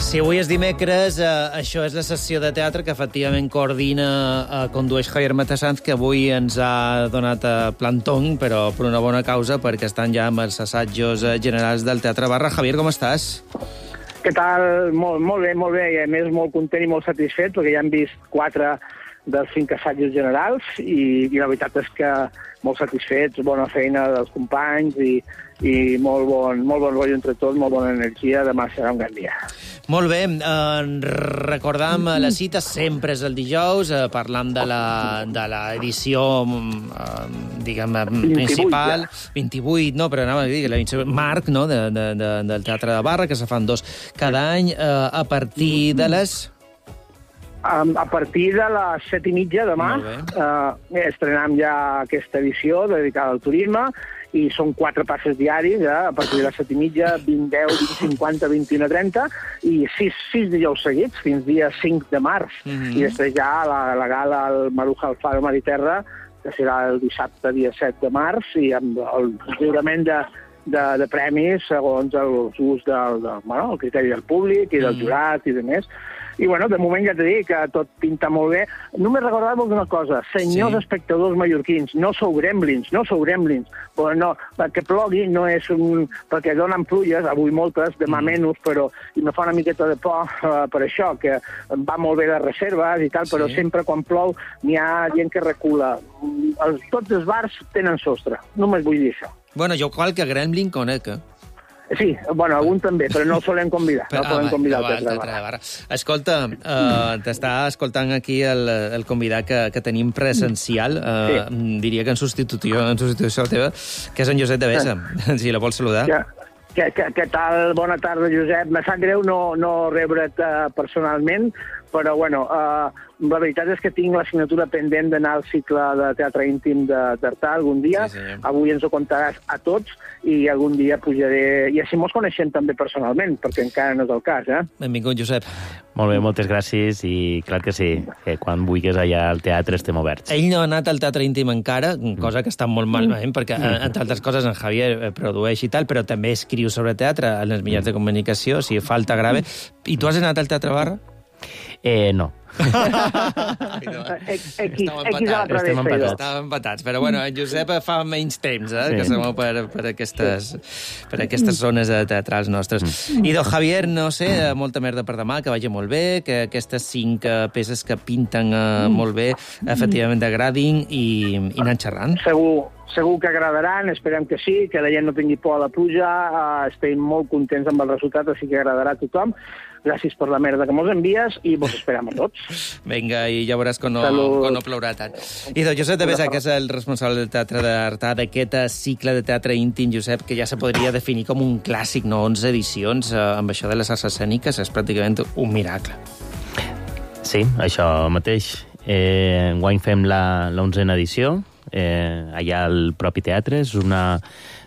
[SPEAKER 5] Si avui és dimecres, eh, això és la sessió de teatre que efectivament coordina, eh, condueix Javier Matessans, que avui ens ha donat eh, plantón, però per una bona causa, perquè estan ja amb els assajos eh, generals del Teatre Barra. Javier, com estàs?
[SPEAKER 15] Què tal? Molt, molt bé, molt bé, i a més molt content i molt satisfet, perquè ja hem vist quatre dels cinc assajos generals i, i la veritat és que molt satisfets, bona feina dels companys i, i molt bon, molt bon rotllo entre tots, molt bona energia. Demà serà un gran dia.
[SPEAKER 5] Molt bé, eh, recordam la cita, sempre és el dijous, eh, parlant de la, de l'edició, eh, diguem, principal, vint-i-vuit, no, però anava a dir, l'edició marc, no?, de, de, de, del Teatre de Barra, que se fan dos cada any, eh, a partir de les...
[SPEAKER 15] A partir de les set i mitja demà eh, estrenem ja aquesta edició dedicada al turisme i són quatre passes diaris, eh, a partir de les set i mitja, vint, deu, vint, cinquanta, vint-i-una, trenta i sis, sis dijous seguits, fins dia cinc de març. Mm-hmm. I després ja la, la gala al Maruja al Faro Mar i Terra, que serà el dissabte, dia set de març, i amb el lliurament de, de, de premis segons el gust del, del, bueno, el criteri del públic i del mm. jurat i de més. I, bueno, de moment ja t'he dit que tot pinta molt bé. Només recordar-vos una cosa, senyors sí. espectadors mallorquins, no sou gremlins, no sou gremlins, però no, que plogui no és un... perquè donen plulles, avui moltes, demà mm. menys, però i me fa una miqueta de por uh, per això, que va molt bé les reserves i tal, sí. però sempre quan plou n'hi ha gent que recula. Els, tots els bars tenen sostre, només vull dir això.
[SPEAKER 5] Bueno, jo qualque gremlin conec, eh?
[SPEAKER 15] Sí, bueno, algun també, però no el solem convidar. No el solem convidar al Teatre de Barra.
[SPEAKER 5] Escolta, uh, t'està escoltant aquí el, el convidat que, que tenim presencial, uh, sí. diria que en substitució, en substitució teva, que és en Josep de Besa, sí. si la vols saludar.
[SPEAKER 15] Ja. Què, què, què tal? Bona tarda, Josep. Me sap greu no, no rebre't uh, personalment, però, bueno, uh, la veritat és que tinc l'assignatura pendent d'anar al cicle de teatre íntim d'Artà algun dia. Sí, avui ens ho contaràs a tots i algun dia pujaré... I així mos coneixem també personalment, perquè encara no és el cas, eh?
[SPEAKER 5] Benvingut, Josep.
[SPEAKER 7] Molt bé, moltes gràcies i clar que sí, que quan vulguis allà al teatre estem oberts.
[SPEAKER 5] Ell no ha anat al teatre íntim encara, cosa que està molt malament, perquè, entre altres coses, en Javier produeix i tal, però també escriu sobre teatre en els mitjans de comunicació, si falta grave. I tu has anat al Teatre Barra?
[SPEAKER 7] Eh, no.
[SPEAKER 15] Estem empatats.
[SPEAKER 5] Estàvem empatats, però bueno, en Josep fa menys temps, eh, sí. que som per, per, aquestes, per aquestes zones teatrals nostres. Mm. I, doncs, Javier, no sé, molta merda per demà, que vagi molt bé, que aquestes cinc peces que pinten uh, molt bé, efectivament agradin i, i anar xerrant.
[SPEAKER 15] Segur. Segur que agradaran, esperem que sí, que la gent no tingui por a la pluja, uh, estem molt contents amb el resultat, així que agradarà a tothom. Gràcies per la merda que mos envies i vos esperem a tots.
[SPEAKER 5] Vinga, i ja veuràs quan no, quan no plourà tant. I doncs Josep de Besa, que és el responsable del Teatre d'Artà, d'aquest cicle de teatre íntim, Josep, que ja se podria definir com un clàssic, no? onze edicions, eh, amb això de les arts escèniques, és pràcticament un miracle.
[SPEAKER 7] Sí, això mateix. Eh, enguany fem la l'onzena edició, eh, allà al propi teatre. És una,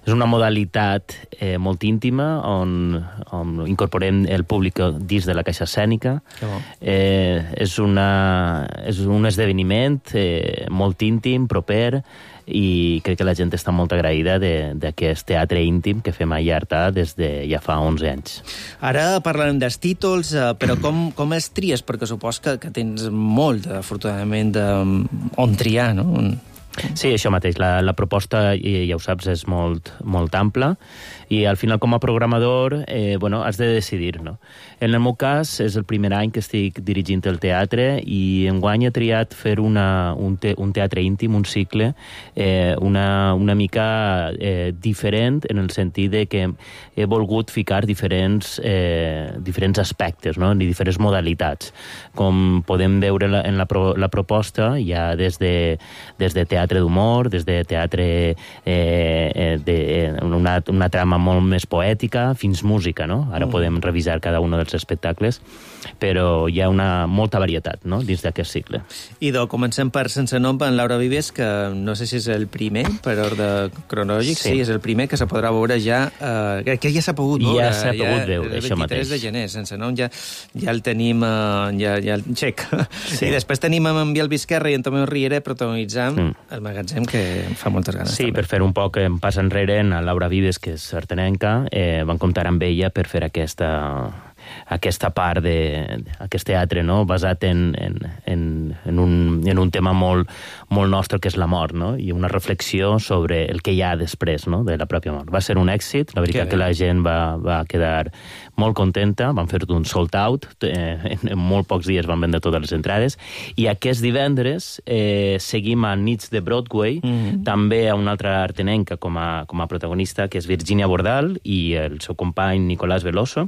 [SPEAKER 7] és una modalitat eh, molt íntima on, on incorporem el públic dins de la caixa escènica. Oh. Eh, és, una, és un esdeveniment eh, molt íntim, proper, i crec que la gent està molt agraïda d'aquest teatre íntim que fem a Artà des de ja fa onze anys.
[SPEAKER 5] Ara parlarem dels títols, però com, com es tries? Perquè supos que, que tens molt, afortunadament, de, on triar, no?
[SPEAKER 16] Sí, això mateix. La, la proposta, ja ho saps, és molt, molt ampla i al final com a programador eh, bueno, has de decidir, no? En el meu cas és el primer any que estic dirigint el teatre i enguany he triat fer una, un, te, un teatre íntim, un cicle eh, una, una mica eh, diferent en el sentit de que he volgut ficar diferents, eh, diferents aspectes, no? I diferents modalitats. Com podem veure la, en la, pro, la proposta, hi ha des de, des de teatre d'humor, des de teatre eh, de, una, una trama molt més poètica, fins música, no? Ara mm. podem revisar cada un dels espectacles, però hi ha una molta varietat, no?, dins d'aquest cicle.
[SPEAKER 5] Idò, comencem per Sense nom, en Laura Vives, que no sé si és el primer, per ordre cronològic, sí, sí és el primer que se podrà veure ja, eh, que ja s'ha pogut veure.
[SPEAKER 16] Ja s'ha pogut veure,
[SPEAKER 5] ja,
[SPEAKER 16] això mateix.
[SPEAKER 5] El vint-i-tres de gener, Sense nom, ja, ja el tenim, eh, ja, ja el xec. Sí. I després tenim en Biel Vizquerra i en Tomeu Riera protagonitzant mm. el magatzem, que em fa moltes ganes.
[SPEAKER 16] Sí,
[SPEAKER 5] també.
[SPEAKER 16] Per fer un poc en pas enrere, en Laura Vives, que és sartenenca, eh, van comptar amb ella per fer aquesta... aquesta part de, aquest teatre, no?, basat en, en, en, en, un, en un tema molt, molt nostre, que és la mort, no?, i una reflexió sobre el que hi ha després, no?, de la pròpia mort. Va ser un èxit, la veritat que, que la gent va, va quedar molt contenta, van fer un sold out, eh, en, en molt pocs dies van vendre totes les entrades, i aquest divendres eh, seguim a Nits de Broadway, mm-hmm. també a una altra artenenca com a, com a protagonista, que és Virginia Bordal, i el seu company Nicolás Veloso,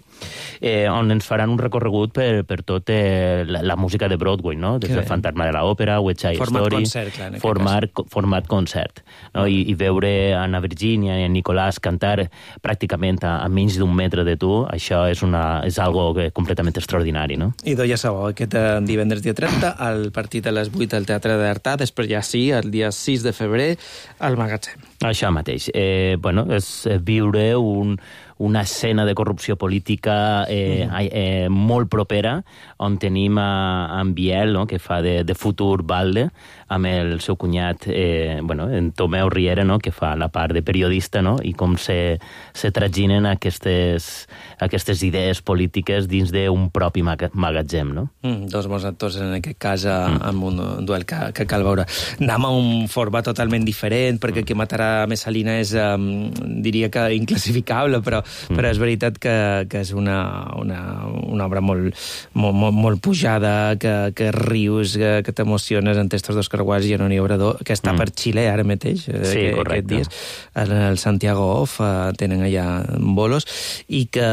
[SPEAKER 16] eh, on ens faran un recorregut per, per tot eh, la, la música de Broadway, no? Des del Fantasma de l'Òpera, West Side
[SPEAKER 5] format
[SPEAKER 16] Story...
[SPEAKER 5] Concert, clar,
[SPEAKER 16] format, format concert. No? I, I veure a Anna Virginia i a Nicolás cantar pràcticament a, a menys d'un metre de tu, això és, una, és algo que, completament extraordinari, no?
[SPEAKER 5] I doncs ja sabeu, aquest divendres dia trenta, el partit a les vuit al Teatre d'Artà, després ja sí, el dia sis de febrer, al magatzem.
[SPEAKER 16] Això mateix. Eh, bueno, és viure un... una escena de corrupció política eh, mm. eh, molt propera, on tenim a, a en Biel, no?, que fa de, de futur balde, amb el seu cunyat, eh, bueno, en Tomeu Riera, no?, que fa la part de periodista, no?, i com se, se traginen aquestes, aquestes idees polítiques dins d'un propi magatzem, no?
[SPEAKER 5] Mm, dos bons actors, en aquest cas, mm. amb un duel que, que cal veure. Anem a un format totalment diferent, perquè mm. qui matarà Messalina és, um, diria que inclassificable, però Mm. però és veritat que, que és una, una, una obra molt, molt, molt, molt pujada, que, que rius, que, que t'emociones en textos d'Òscar Guas i Anoni Obrador, que està mm. per Xile ara mateix,
[SPEAKER 16] sí,
[SPEAKER 5] que, aquest dies. El Santiago Off uh, tenen allà bolos, i que,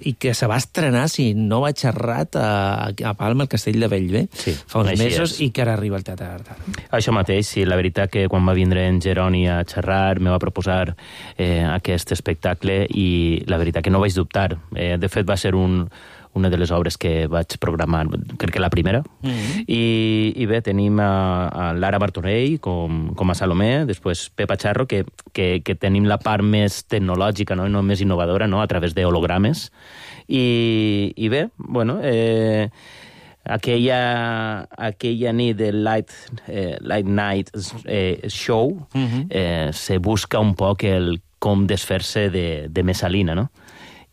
[SPEAKER 5] i que se va estrenar, si no vaig errat, a, a Palma, al Castell de Bellver,
[SPEAKER 16] sí,
[SPEAKER 5] fa uns mesos,
[SPEAKER 16] és.
[SPEAKER 5] I que ara arriba al Teatre d'Artà.
[SPEAKER 16] Això mateix, sí, la veritat que quan va vindre en Jeroni a xerrar, me va proposar eh, aquest espectacle, i la veritat que no vaig dubtar. Eh, de fet, va ser un, una de les obres que vaig programar, crec que la primera. Mm-hmm. I, i bé, tenim a, a Lara Martorell com, com a Salomé, després Pepa Charro, que, que, que tenim la part més tecnològica, no, no més innovadora, no?, a través d'hologrames. I, i bé, bueno... Eh, aquella, aquella nit de Light, eh, Light Night eh, Show mm-hmm. eh, se busca un poc el com desfer-se de, de Messalina, no?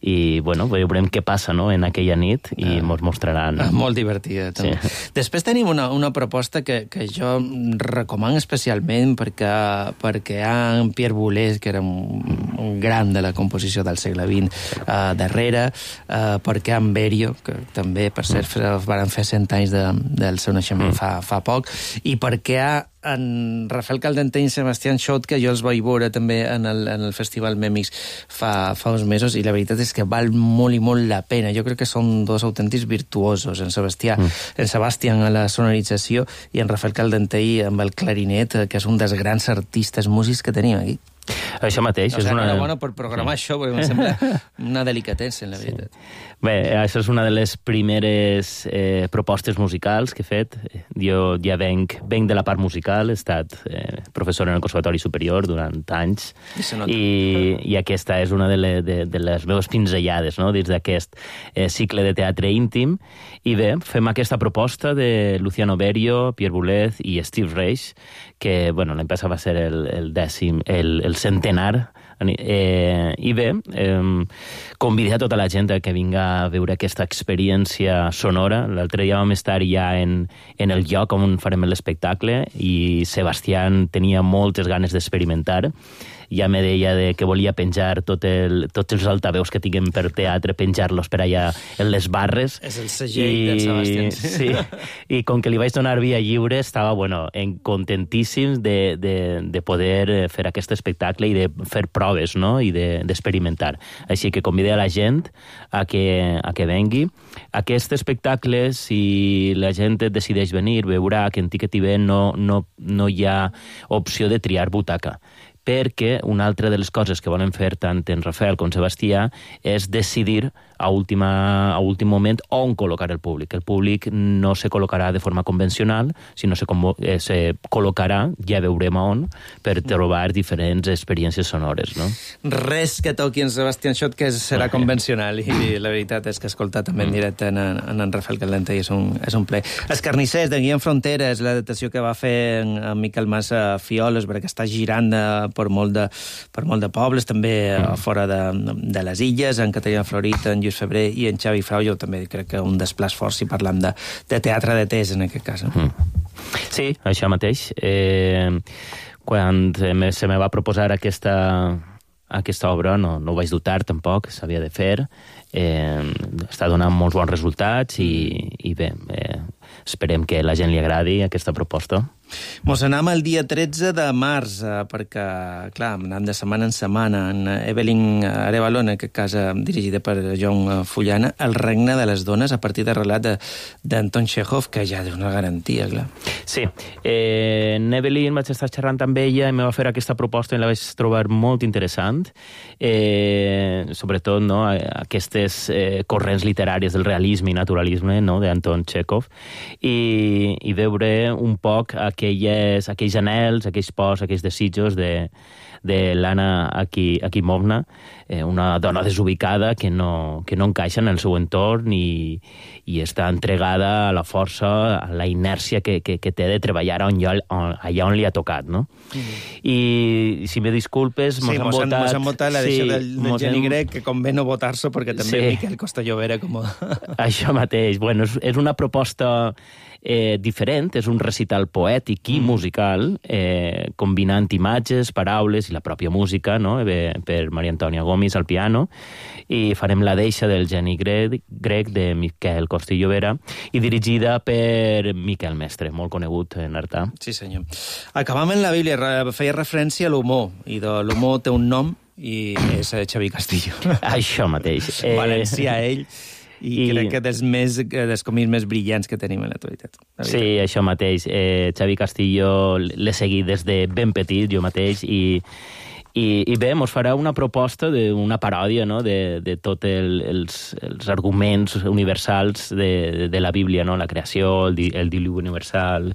[SPEAKER 16] I, bueno, veurem què passa, no?, en aquella nit, i ah. mos mostraran...
[SPEAKER 5] Ah, molt divertida, també. Sí. Després tenim una, una proposta que, que jo recomano especialment perquè, perquè hi ha en Pierre Boulez, que era un, un gran de la composició del segle vint, uh, darrere, uh, perquè en Berio, que també, per cert, mm. van fer cent anys de, del seu naixement mm. fa, fa poc, i perquè hi ha en Rafael Caldenteny i Sebastián Schott, que jo els vaig veure també en el, en el Festival Mèmix fa, fa uns mesos, i la veritat és que val molt i molt la pena. Jo crec que són dos autèntics virtuosos, en Sebastià, mm. en Sebastián a la sonorització i en Rafael Caldenteny amb el clarinet, que és un dels grans artistes músics que tenim aquí.
[SPEAKER 16] Això mateix.
[SPEAKER 5] O sigui,
[SPEAKER 16] és una...
[SPEAKER 5] bona per programar sí. això, perquè em sembla una delicatessa, en la veritat.
[SPEAKER 16] Sí. Bé, això és una de les primeres eh, propostes musicals que he fet. Jo ja venc, venc de la part musical, he estat eh, professor en el Conservatori Superior durant anys, i, i aquesta és una de, le, de, de les meves pinzellades, no?, dins d'aquest eh, cicle de teatre íntim. I bé, fem aquesta proposta de Luciano Berio, Pierre Boulez i Steve Reich, que, bueno, l'any passat va ser el, el dècim, el, el centenar Eh, I bé, eh, convidar tota la gent que vinga a veure aquesta experiència sonora. L'altre dia vam estar ja en, en el lloc on farem l'espectacle i Sebastián tenia moltes ganes d'experimentar. Ja me deia de que volia penjar tot el, tots els altaveus que tinguem per teatre, penjar-los per allà en les barres.
[SPEAKER 5] És el segell del Sebastián.
[SPEAKER 16] Sí, i com que li vaig donar via lliure, estava, bueno, contentíssim de, de, de poder fer aquest espectacle i de fer proves, no?, i d'experimentar. De, Així que convidé a la gent a que, a que vengui. Aquest espectacle, si la gent decideix venir, veurà que en Ticket I V no, no, no hi ha opció de triar butaca, perquè una altra de les coses que volen fer tant en Rafael com Sebastià és decidir a, última, a últim moment on col·locar el públic. El públic no se col·locarà de forma convencional, sinó se, eh, se col·locarà, ja veurem on, per trobar diferents experiències sonores, no?
[SPEAKER 5] Res que toqui en Sebastián Schott que serà convencional, i la veritat és que escoltar també en directe en, en, en Rafael Calenta és un, és un ple. Els carnissers de Guillem Fronteres, l'adaptació que va fer en, en Miquel Mas a Fioles, perquè està girant de, per, molt de, per molt de pobles, també mm. fora de, de les illes, en Caterina Florit, en Lluís Febrer i en Xavi Frau. Jo també crec que un desplaç fort si parlam de, de teatre de tes, en aquest cas. Mm.
[SPEAKER 16] Sí, això mateix. Eh, quan se me va proposar aquesta, aquesta obra, no, no ho vaig dubtar tampoc, s'havia de fer. Eh, està donant molts bons resultats i, i bé, eh, esperem que la gent li agradi aquesta proposta.
[SPEAKER 5] Mos anem el dia tretze de març, eh, perquè, clar, anem de setmana en setmana, en Evelyn Arevalo, en aquest cas dirigida per John Fullana, El regne de les dones, a partir de relat d'Anton Chekhov, que ja és una garantia, clar.
[SPEAKER 16] Sí, eh, en Evelyn vaig estar xerrant amb ella i me va fer aquesta proposta i la vaig trobar molt interessant, eh, sobretot, no, aquestes eh, corrents literàries del realisme i naturalisme, no, d'Anton Chekhov, i, i veure un poc aquelles, aquells anels, aquells pors, aquells desitjos de, de l'Anna Akimovna, eh, una dona desubicada que no, que no encaixa en el seu entorn i, i està entregada a la força, a la inèrcia que, que, que té de treballar on, on, allà on li ha tocat, no? Mm-hmm. I si me disculpes, mos sí, han votat...
[SPEAKER 5] Mos han votat la deixa sí, del, del Geni hem... Grec, que convé no votar-se, perquè també sí. Miquel Costa-Llobera com...
[SPEAKER 16] Això mateix. Bueno, és, és una proposta eh, diferent, és un recital poètic i mm. musical, eh, combinant imatges, paraules i la pròpia música, no?, eh, per Maria Antònia Gomis al piano, i farem la deixa del Geni grec, grec de Miquel Costa-Llobera i dirigida per Miquel Mestre, molt conegut en Artà.
[SPEAKER 5] Sí, senyor. Acabam en la Bíblia, feia referència a l'humor, i de l'humor té un nom i és Xavi Castillo.
[SPEAKER 16] Això mateix.
[SPEAKER 5] Eh... Valencià, ell, i, I crec que dels, més, dels còmics més brillants que tenim en l'actualitat.
[SPEAKER 16] Sí, això mateix. Eh, Xavi Castillo l'he seguit des de ben petit, jo mateix, i I, i bé, mos farà una proposta d'una paròdia, no?, de, de tots el, els, els arguments universals de, de la Bíblia, no?, la creació, el, di, el diluvi universal,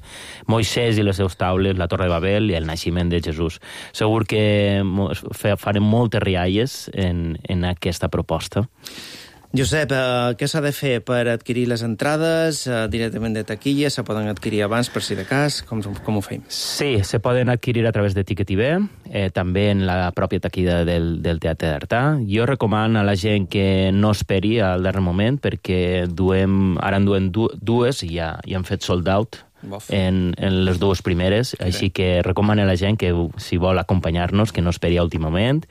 [SPEAKER 16] Moisès i les seus taules, la Torre de Babel i el naixement de Jesús. Segur que farem moltes rialles en, en aquesta proposta.
[SPEAKER 5] Josep, eh, què s'ha de fer per adquirir les entrades eh, directament de taquilla? Se poden adquirir abans, per si de cas? Com, com ho fem?
[SPEAKER 16] Sí, se poden adquirir a través de Ticket I V, eh, també en la pròpia taquilla del, del Teatre d'Artà. Jo recomano a la gent que no esperi al darrer moment, perquè duem, ara en duem dues i ja, ja han fet sold out en, en les dues primeres, okay. Així que recomano a la gent que, si vol acompanyar-nos, que no esperi a últim moment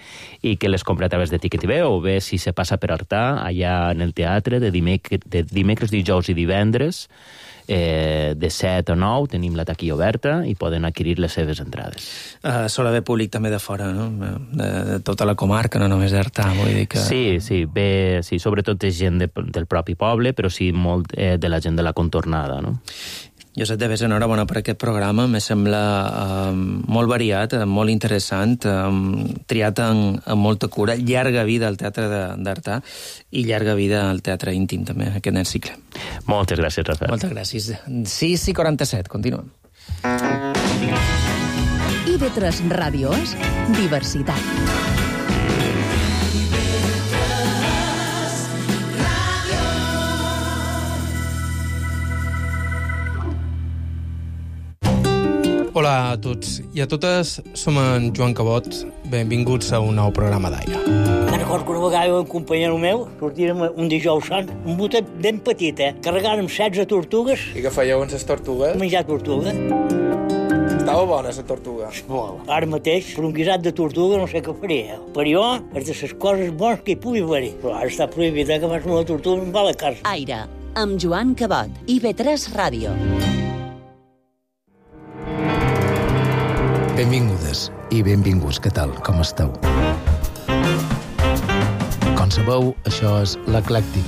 [SPEAKER 16] i que les compri a través de Ticket I V, o bé si se passa per Artà, allà en el teatre, de dimecres, de dimecres dijous i divendres, eh, de set a nou tenim la taquilla oberta i poden adquirir les seves entrades.
[SPEAKER 5] Uh, sol haver públic també de fora, no? De, de tota la comarca, no només d'Artà, vull dir que...
[SPEAKER 16] Sí, sí, bé, sí, sobretot és gent de, del propi poble, però sí molt eh, de la gent de la contornada, no?
[SPEAKER 5] Josep de Bes, enhorabona per aquest programa. Me sembla eh, molt variat, molt interessant, eh, triat en, en molta cura. Llarga vida al Teatre d'Artà i llarga vida al Teatre Íntim, també, aquest cicle.
[SPEAKER 16] Moltes gràcies, Rafael.
[SPEAKER 5] Moltes gràcies. sis i quaranta-set, continuem.
[SPEAKER 3] I V tres Ràdio és diversitat.
[SPEAKER 5] Hola,
[SPEAKER 17] Hola a tots i a totes, som en Joan Cabot. Benvinguts a un nou programa d'Aire.
[SPEAKER 18] Me'n recordo que una vegada un companyero meu sortirem un dijous sant, un botet ben petit, eh? Carregàrem setze tortugues.
[SPEAKER 19] I què fèieu amb les tortugues?
[SPEAKER 18] Menjar tortuga.
[SPEAKER 19] Estava bona, la tortuga.
[SPEAKER 18] Molt. Ara mateix, per un guisat de tortuga no sé què faria. Per jo, és de les coses bones que hi pugui haver. Però ara està prohibit, eh, que fas una tortuga i em va a la casa.
[SPEAKER 4] Aire, amb Joan Cabot, I B tres Ràdio.
[SPEAKER 14] Benvingudes i benvinguts, què tal, com esteu? Com sabeu, això és l'Eclèctic.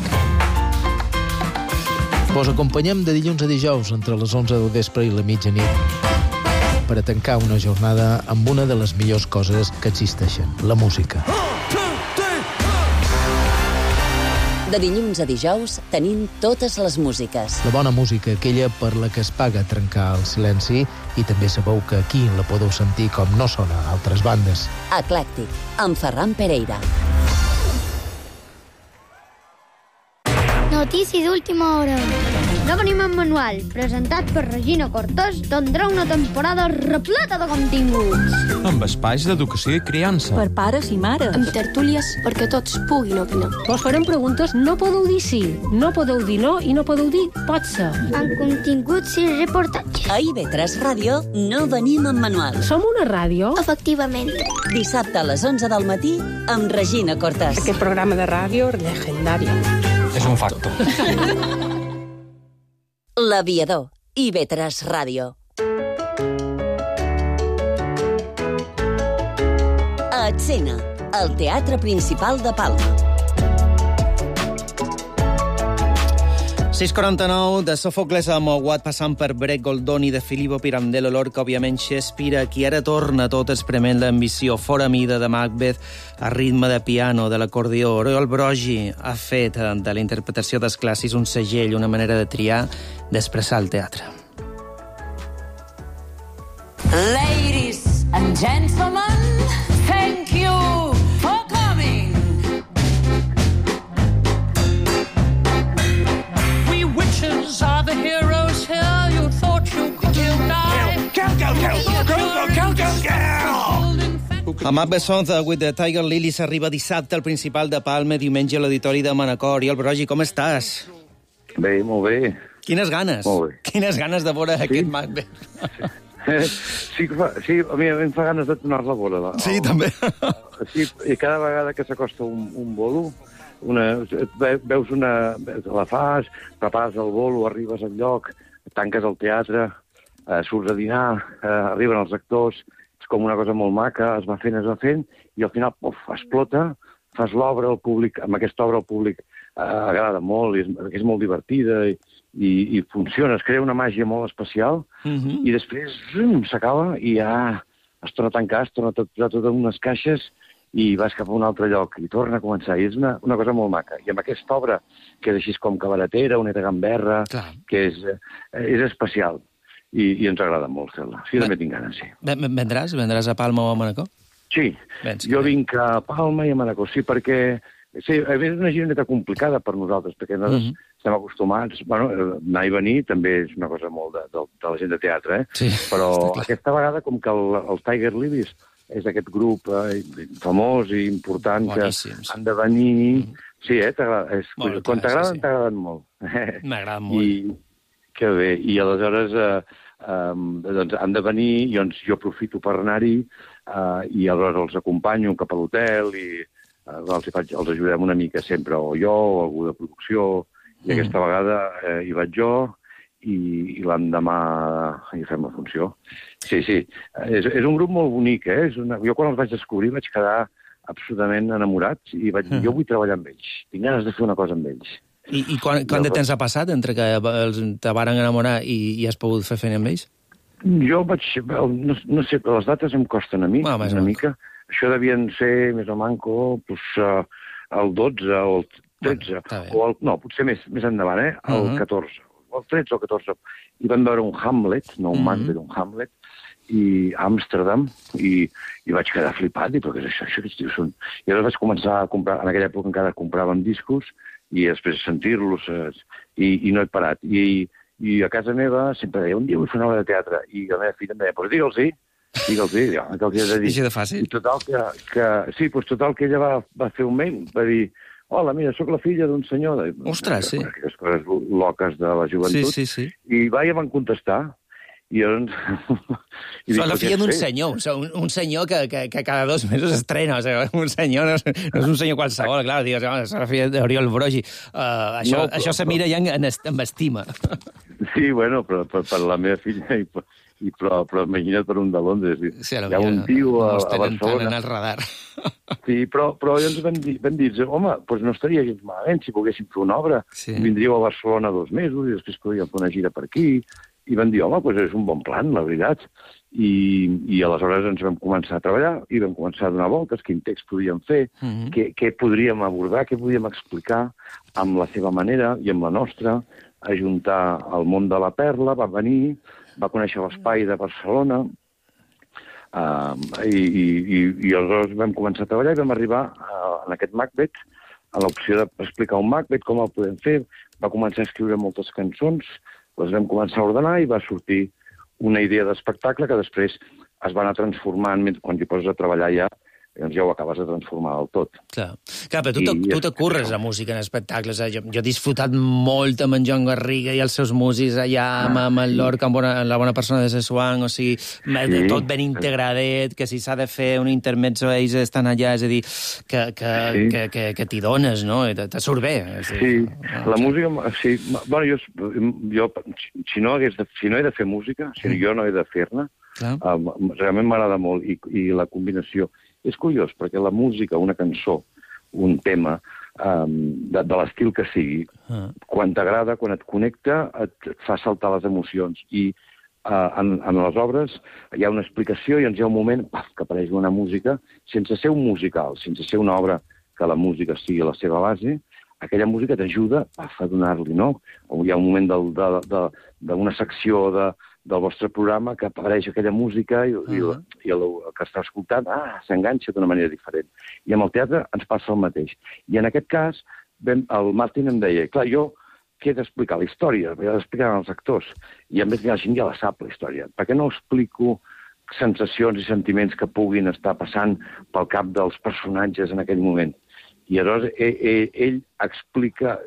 [SPEAKER 14] Vos acompanyem de dilluns a dijous entre les onze del vespre i la mitjanit per a tancar una jornada amb una de les millors coses que existeixen, la música.
[SPEAKER 4] De dilluns a dijous tenim totes les músiques.
[SPEAKER 14] La bona música, aquella per la que es paga trencar el silenci, i també sabeu que aquí la podeu sentir com no sona a altres bandes.
[SPEAKER 4] Eclèctic, amb Ferran Pereira.
[SPEAKER 20] Notícia d'última hora. No venim en manual, presentat per Regina Cortés, tindrà una temporada repleta de continguts.
[SPEAKER 21] Amb espais d'educació i criança.
[SPEAKER 22] Per pares i mares.
[SPEAKER 23] Amb tertúlies perquè tots puguin opinar.
[SPEAKER 22] Vos farem preguntes, no podeu dir sí, no podeu dir no i no podeu dir pot ser.
[SPEAKER 20] Amb continguts i reportatges.
[SPEAKER 4] A I B tres Ràdio no venim en manual.
[SPEAKER 22] Som una ràdio?
[SPEAKER 20] Efectivament.
[SPEAKER 4] Dissabte a les onze del matí amb Regina Cortés.
[SPEAKER 23] Aquest programa de ràdio és legendari.
[SPEAKER 21] És un facto.
[SPEAKER 4] L'Aviador, I B tres Ràdio. A Escena, el Teatre Principal de Palma.
[SPEAKER 5] sis quaranta-nou, de Sòfocles a Mouat, passant per Brec Goldoni, de Filippo Pirandello, Lorca, òbviament Shakespeare, qui ara torna tot esprement l'ambició, fora mida de Macbeth, a ritme de piano, de l'acordió. Oriol Brogi ha fet de la interpretació dels clàssics un segell, una manera de triar, d'expressar el teatre.
[SPEAKER 24] Ladies and gentlemen, thank you for coming. We witches are the heroes here. You thought you could die.
[SPEAKER 8] Kill, kill, kill, kill, kill, kill, kill.
[SPEAKER 5] A Macbeth Song with the Tiger Lilies arriba dissabte al Principal de Palma, diumenge a l'Auditori de Manacor. Oriol Brogi, com estàs?
[SPEAKER 25] Bé, molt bé.
[SPEAKER 5] Quines ganes?
[SPEAKER 25] Molt bé.
[SPEAKER 5] Quines ganes de veure sí? aquest Macbeth.
[SPEAKER 25] Sí, sí, a mi em fa ganes de tornar-la a veure.
[SPEAKER 5] Sí, el, també.
[SPEAKER 25] Sí, i cada vegada que s'acosta un, un bolo, una, veus una... la fas, prepares el bolo, arribes al lloc, tanques el teatre, eh, surts a dinar, eh, arriben els actors, és com una cosa molt maca, es va fent, es va fent, i al final, pof, explota, fas l'obra al públic, amb aquesta obra al públic eh, agrada molt, i és, és molt divertida, i, i, i funciona, es crea una màgia molt especial, uh-huh. i després s'acaba i ja es torna a tancar, es torna a posar tot en unes caixes i vas cap a un altre lloc i torna a començar. I és una, una cosa molt maca. I amb aquesta obra, que és així com cabaretera, una gamberra, Clar. que és, és especial. I, i ens agrada molt fer-la. Sí, també tinc ganes, sí.
[SPEAKER 5] Vendràs? Vendràs a Palma o a Manacor?
[SPEAKER 25] Sí, Vens, jo vinc a Palma i a Manacor, sí, perquè sí, és una gironeta complicada per nosaltres, perquè nosaltres uh-huh. estem acostumats, bueno, anar i venir també és una cosa molt de, de, de la gent de teatre, eh? Sí, però aquesta vegada, com que el, el Tiger Lilies és aquest grup eh, famós i important Boníssims. que han de venir... Uh-huh. Sí, eh? És, molt quan t'agraden, sí, sí. t'agraden molt.
[SPEAKER 5] M'agraden molt.
[SPEAKER 25] I, que bé, i aleshores eh, eh, doncs han de venir, i doncs jo aprofito per anar-hi, eh, i aleshores els acompanyo cap a l'hotel i eh, els, faig, els ajudem una mica sempre, o jo, o algú de producció, i mm. aquesta vegada eh, hi vaig jo, i, i l'endemà hi fem la funció. Sí, sí, és, és un grup molt bonic, eh? És una... Jo quan els vaig descobrir vaig quedar absolutament enamorat, i vaig dir, mm. jo vull treballar amb ells, tinc ganes de fer una cosa amb ells.
[SPEAKER 5] I, i quan, quan de temps ha passat entre que els, te varen enamorar i, i has pogut fer feina amb ells?
[SPEAKER 25] Jo vaig... No, no sé, les dates em costen a mi, ah, una mica. Això devien ser més o manco pues, uh, el dotze o el tretze. Bueno, o el, no, potser més, més endavant, eh? El uh-huh. catorze. O el tretze o el catorze. I vam veure un Hamlet, no un uh-huh. Macbeth, un Hamlet, i a Amsterdam, i, i vaig quedar flipat, i però què és això? Això que són... I llavors vaig començar a comprar, en aquella època encara compràvem discos, i després sentir-los, i, i no he parat. I, I a casa meva sempre deia, un dia vull fer una obra de teatre. I la meva filla em deia, doncs digue'ls-hi, digue'ls-hi, ja, que els hi he de dir.
[SPEAKER 5] Així de fàcil.
[SPEAKER 25] I total que, que, sí, doncs total que ella va, va fer un mail, va dir, hola, mira, sóc la filla d'un senyor... De,
[SPEAKER 5] Ostres, sí.
[SPEAKER 25] Aquestes coses loques de la joventut.
[SPEAKER 5] Sí, sí, sí.
[SPEAKER 25] I va i van contestar. I llavors... I
[SPEAKER 5] dic, la filla d'un senyor, un, un senyor que, que, que cada dos mesos estrena, o sigui, un senyor no és, no és un senyor qualsevol, clar, digues, oh, és la filla d'Oriol Brogi. Uh, això no, però, això se mira ja en, en, en estima.
[SPEAKER 25] Sí, bueno, però per, per la meva filla, i, i, però, però imagina't per un de Londres. Sí, hi ha un tio a, a Barcelona...
[SPEAKER 5] en el radar.
[SPEAKER 25] Sí, però, però llavors vam dir, vam dir home, doncs no estaria gens malament si poguéssim fer una obra. Sí. Vindríeu a Barcelona dos mesos i després podríem fer una gira per aquí. I van dir, home, doncs és un bon plan, la veritat. I, i aleshores ens vam començar a treballar i vam començar a donar voltes, quin text podíem fer, mm-hmm. què, què podríem abordar, què podíem explicar amb la seva manera i amb la nostra, ajuntar el món de la Perla, va venir, va conèixer l'espai de Barcelona, uh, i, i, i, i aleshores vam començar a treballar i vam arribar uh, en aquest Macbeth, a l'opció d'explicar un Macbeth, com el podem fer, va començar a escriure moltes cançons, les vam començar a ordenar i va sortir una idea d'espectacle que després es va anar transformant, quan t'hi poses a treballar ja, doncs ja ho acabes de transformar del tot.
[SPEAKER 5] Clar, Clar però tu, I, tu te curres la música en espectacles. Eh? Jo, jo he disfrutat molt amb en Joan Garriga i els seus músics allà, amb, amb el Lorca, amb, bona, amb la bona persona de Sessuang, o sigui, sí. tot ben integradet, que si s'ha de fer un intermezzo ells estan allà, és a dir, que, que, sí. que, que, que t'hi dones, no? Te, te surt bé. És dir,
[SPEAKER 25] sí,
[SPEAKER 5] no,
[SPEAKER 25] la música... Sí, bueno, jo, jo si, no hagués de, si no he de fer música, si mm. jo no he de fer-ne, um, realment m'agrada molt, i, i la combinació... És curiós, perquè la música, una cançó, un tema, um, de, de l'estil que sigui, ah. quan t'agrada, quan et connecta, et, et fa saltar les emocions. I uh, en, en les obres hi ha una explicació i ens hi ha un moment paf, que apareix una música, sense ser un musical, sense ser una obra que la música sigui la seva base, aquella música t'ajuda a donar-li, no? O hi ha un moment d'una secció de, del vostre programa que apareix aquella música i, uh -huh. i, i el, el que està escoltant ah, s'enganxa d'una manera diferent. I amb el teatre ens passa el mateix. I en aquest cas, ben, el Martin em deia, clar, jo què he d'explicar? La història, he d'explicar als actors. I a més la gent ja la sap, la història. Per què no explico sensacions i sentiments que puguin estar passant pel cap dels personatges en aquell moment? I aleshores ell, ell, ell explica...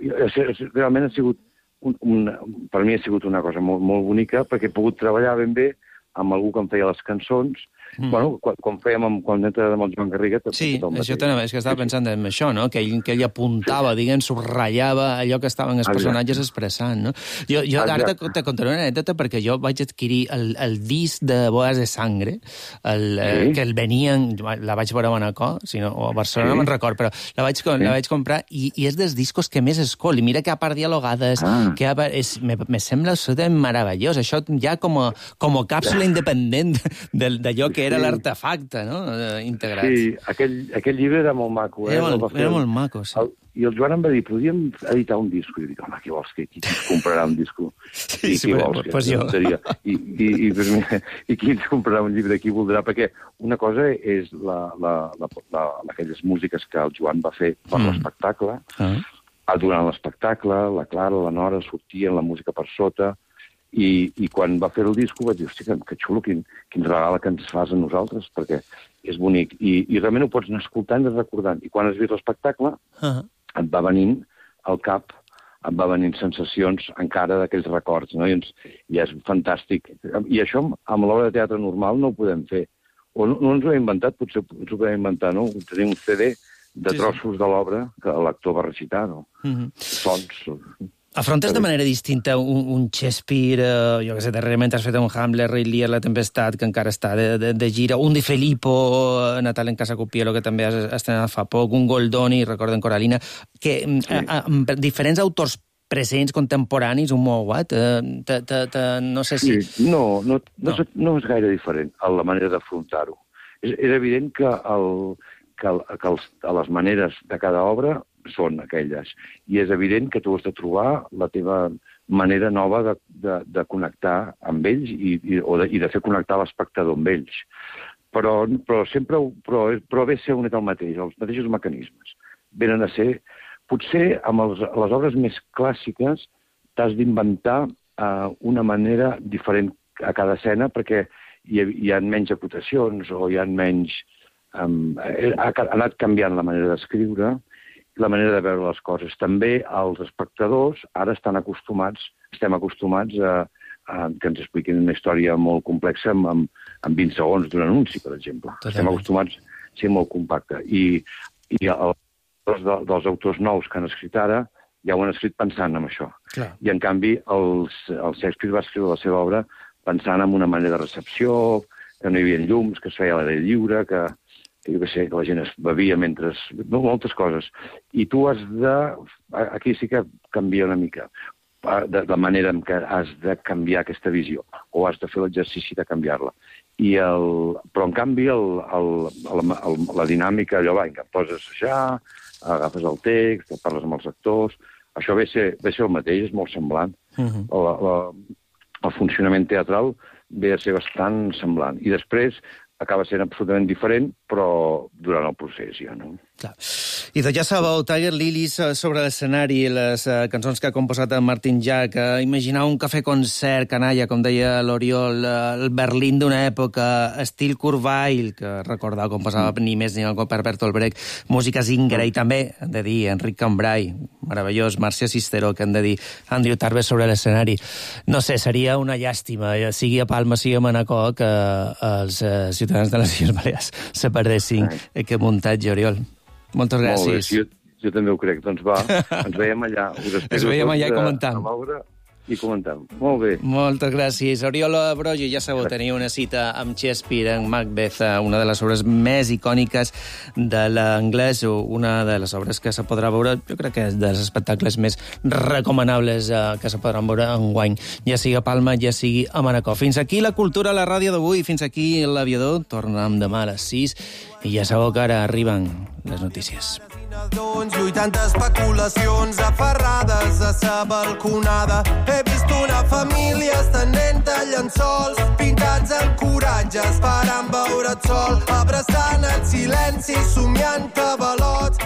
[SPEAKER 25] Realment ha sigut... Un, un, per mi ha sigut una cosa molt, molt bonica, perquè he pogut treballar ben bé amb algú que em feia les cançons. Mm. Bueno, quan, quan fèiem amb, quan entra amb el Joan Garriga...
[SPEAKER 5] Sí, això també, és que estava pensant en això, no? Que ell, que ell apuntava, sí. diguem, subratllava allò que estaven els personatges Exacte. expressant, no? Jo, jo ara te, te contaré una anècdota perquè jo vaig adquirir el, el disc de Bodas de Sangre, el, sí. eh, que el venien, la vaig veure a Manacor, si no, o a Barcelona, sí. no me'n record, però la vaig, sí. la vaig comprar i, i és dels discos que més escol. I mira que a part dialogades, ah. que a part, és, me, me sembla absolutament meravellós. Això ja com a, com a càpsula independent d'allò que era sí. l'artefacte, no?, integrat.
[SPEAKER 25] Sí, aquell, aquell llibre era molt maco. Eh?
[SPEAKER 5] Era, molt, era molt maco, sí.
[SPEAKER 25] El, I el Joan em va dir, podríem editar un disco. I jo dic, home, què vols? Que, qui ens comprarà un disco?
[SPEAKER 5] Sí, sí, vols, pues jo.
[SPEAKER 25] I, i, i, I qui ens comprarà un llibre? Qui voldrà? Perquè una cosa és la, la, la, la, aquelles músiques que el Joan va fer per mm. l'espectacle. Ah. Durant l'espectacle, la Clara, la Nora sortien la música per sota. I, i quan va fer el disco vaig dir, hosti, que, que xulo, quin, quin regal que ens fas a nosaltres, perquè és bonic. I, i realment ho pots anar escoltant i recordant. I quan has vist l'espectacle, uh-huh. et va venint al cap, et va venint sensacions encara d'aquells records, no? I, ens, I és fantàstic. I això amb l'obra de teatre normal no ho podem fer. O no, no ens ho hem inventat, potser ens ho podem inventar, no? Tenim un C D de trossos de l'obra que l'actor va recitar, no? Uh-huh. Sons...
[SPEAKER 5] Afrontes de manera distinta un, un Shakespeare, eh, jo què sé, darrerament has fet un Hamlet, Rei Lear, La Tempestat, que encara està de, de, de gira, un de Filippo, Natal en Casa Copielo, que també has estrenat fa poc, un Goldoni, recorden Coralina, que sí. a, a, diferents autors presents, contemporanis, un Mowat, eh, te, te, te, no sé si...
[SPEAKER 25] Sí, no, no, no, no. És, no és gaire diferent a la manera d'afrontar-ho. És, és evident que, el, que, el, que els, a les maneres de cada obra són aquelles. I és evident que tu has de trobar la teva manera nova de, de, de connectar amb ells i, i, o de, i de fer connectar l'espectador amb ells. Però, però sempre però, però ve ser un i el mateix, els mateixos mecanismes. Venen a ser... Potser amb els, les obres més clàssiques t'has d'inventar uh, una manera diferent a cada escena, perquè hi, hi ha menys acotacions o hi ha menys... Um, ha, ha anat canviant la manera d'escriure, la manera de veure les coses. També els espectadors ara estan acostumats, estem acostumats a, a que ens expliquin una història molt complexa amb, amb, amb vint segons d'un anunci, per exemple. Totalment. Estem acostumats a ser molt compacte. I, i el, els de, dels autors nous que han escrit ara ja ho han escrit pensant en això. Clar. I, en canvi, els, el Shakespeare va escriure la seva obra pensant en una manera de recepció, que no hi havia llums, que es feia a l'aire lliure, que... que jo què sé, que la gent es bevia mentre... No, moltes coses. I tu has de... Aquí sí que canvia una mica de la manera en què has de canviar aquesta visió, o has de fer l'exercici de canviar-la. I el... Però, en canvi, el, el, el, el, la dinàmica, allò, va, que poses a assajar, agafes el text, parles amb els actors... Això ve a ser, ve a ser el mateix, és molt semblant. Uh-huh. la, la, el funcionament teatral ve a ser bastant semblant. I després acaba sent absolutament diferent, però durant el procés ja, no?
[SPEAKER 5] Clar. I doncs ja sabeu, Tiger Lilies sobre l'escenari, les uh, cançons que ha composat en Martin Jack, uh, imaginar un cafè-concert canalla, com deia l'Oriol, uh, el Berlín d'una època, estil Kurt Weill, que recordava com passava mm. ni més ni algo per Bertolt Brecht, música Zingara, i també, hem de dir, Enric Cambrai, meravellós, Marcia Sisteró, que hem de dir, Andrew Tarver sobre l'escenari. No sé, seria una llàstima, sigui a Palma, sigui a Manacor, que uh, els uh, ciutadans de les Illes Balears se perdessin aquest muntatge, Oriol. Moltes gràcies.
[SPEAKER 25] Molt bé, jo, jo també ho crec. Doncs va, ens veiem allà.
[SPEAKER 5] Ens veiem allà i comentam.
[SPEAKER 25] A l'obra i comentam. Molt bé.
[SPEAKER 5] Moltes gràcies. Oriol Brogi, ja sabeu, tenia una cita amb Shakespeare en Macbeth, una de les obres més icòniques de l'anglès, una de les obres que se podrà veure, jo crec que és dels espectacles més recomanables eh, que se podran veure enguany, ja sigui a Palma, ja sigui a Manacor. Fins aquí la cultura a la ràdio d'avui, fins aquí l'Aviador. Tornem demà a les sis i ja sabeu que ara arriben les notícies.
[SPEAKER 1] Lluitant especulacions aferrades a sa balconada. He vist una família estenent a llençols pintats en coratge esperant veure't sol, abraçant el silenci, somiant cabalots.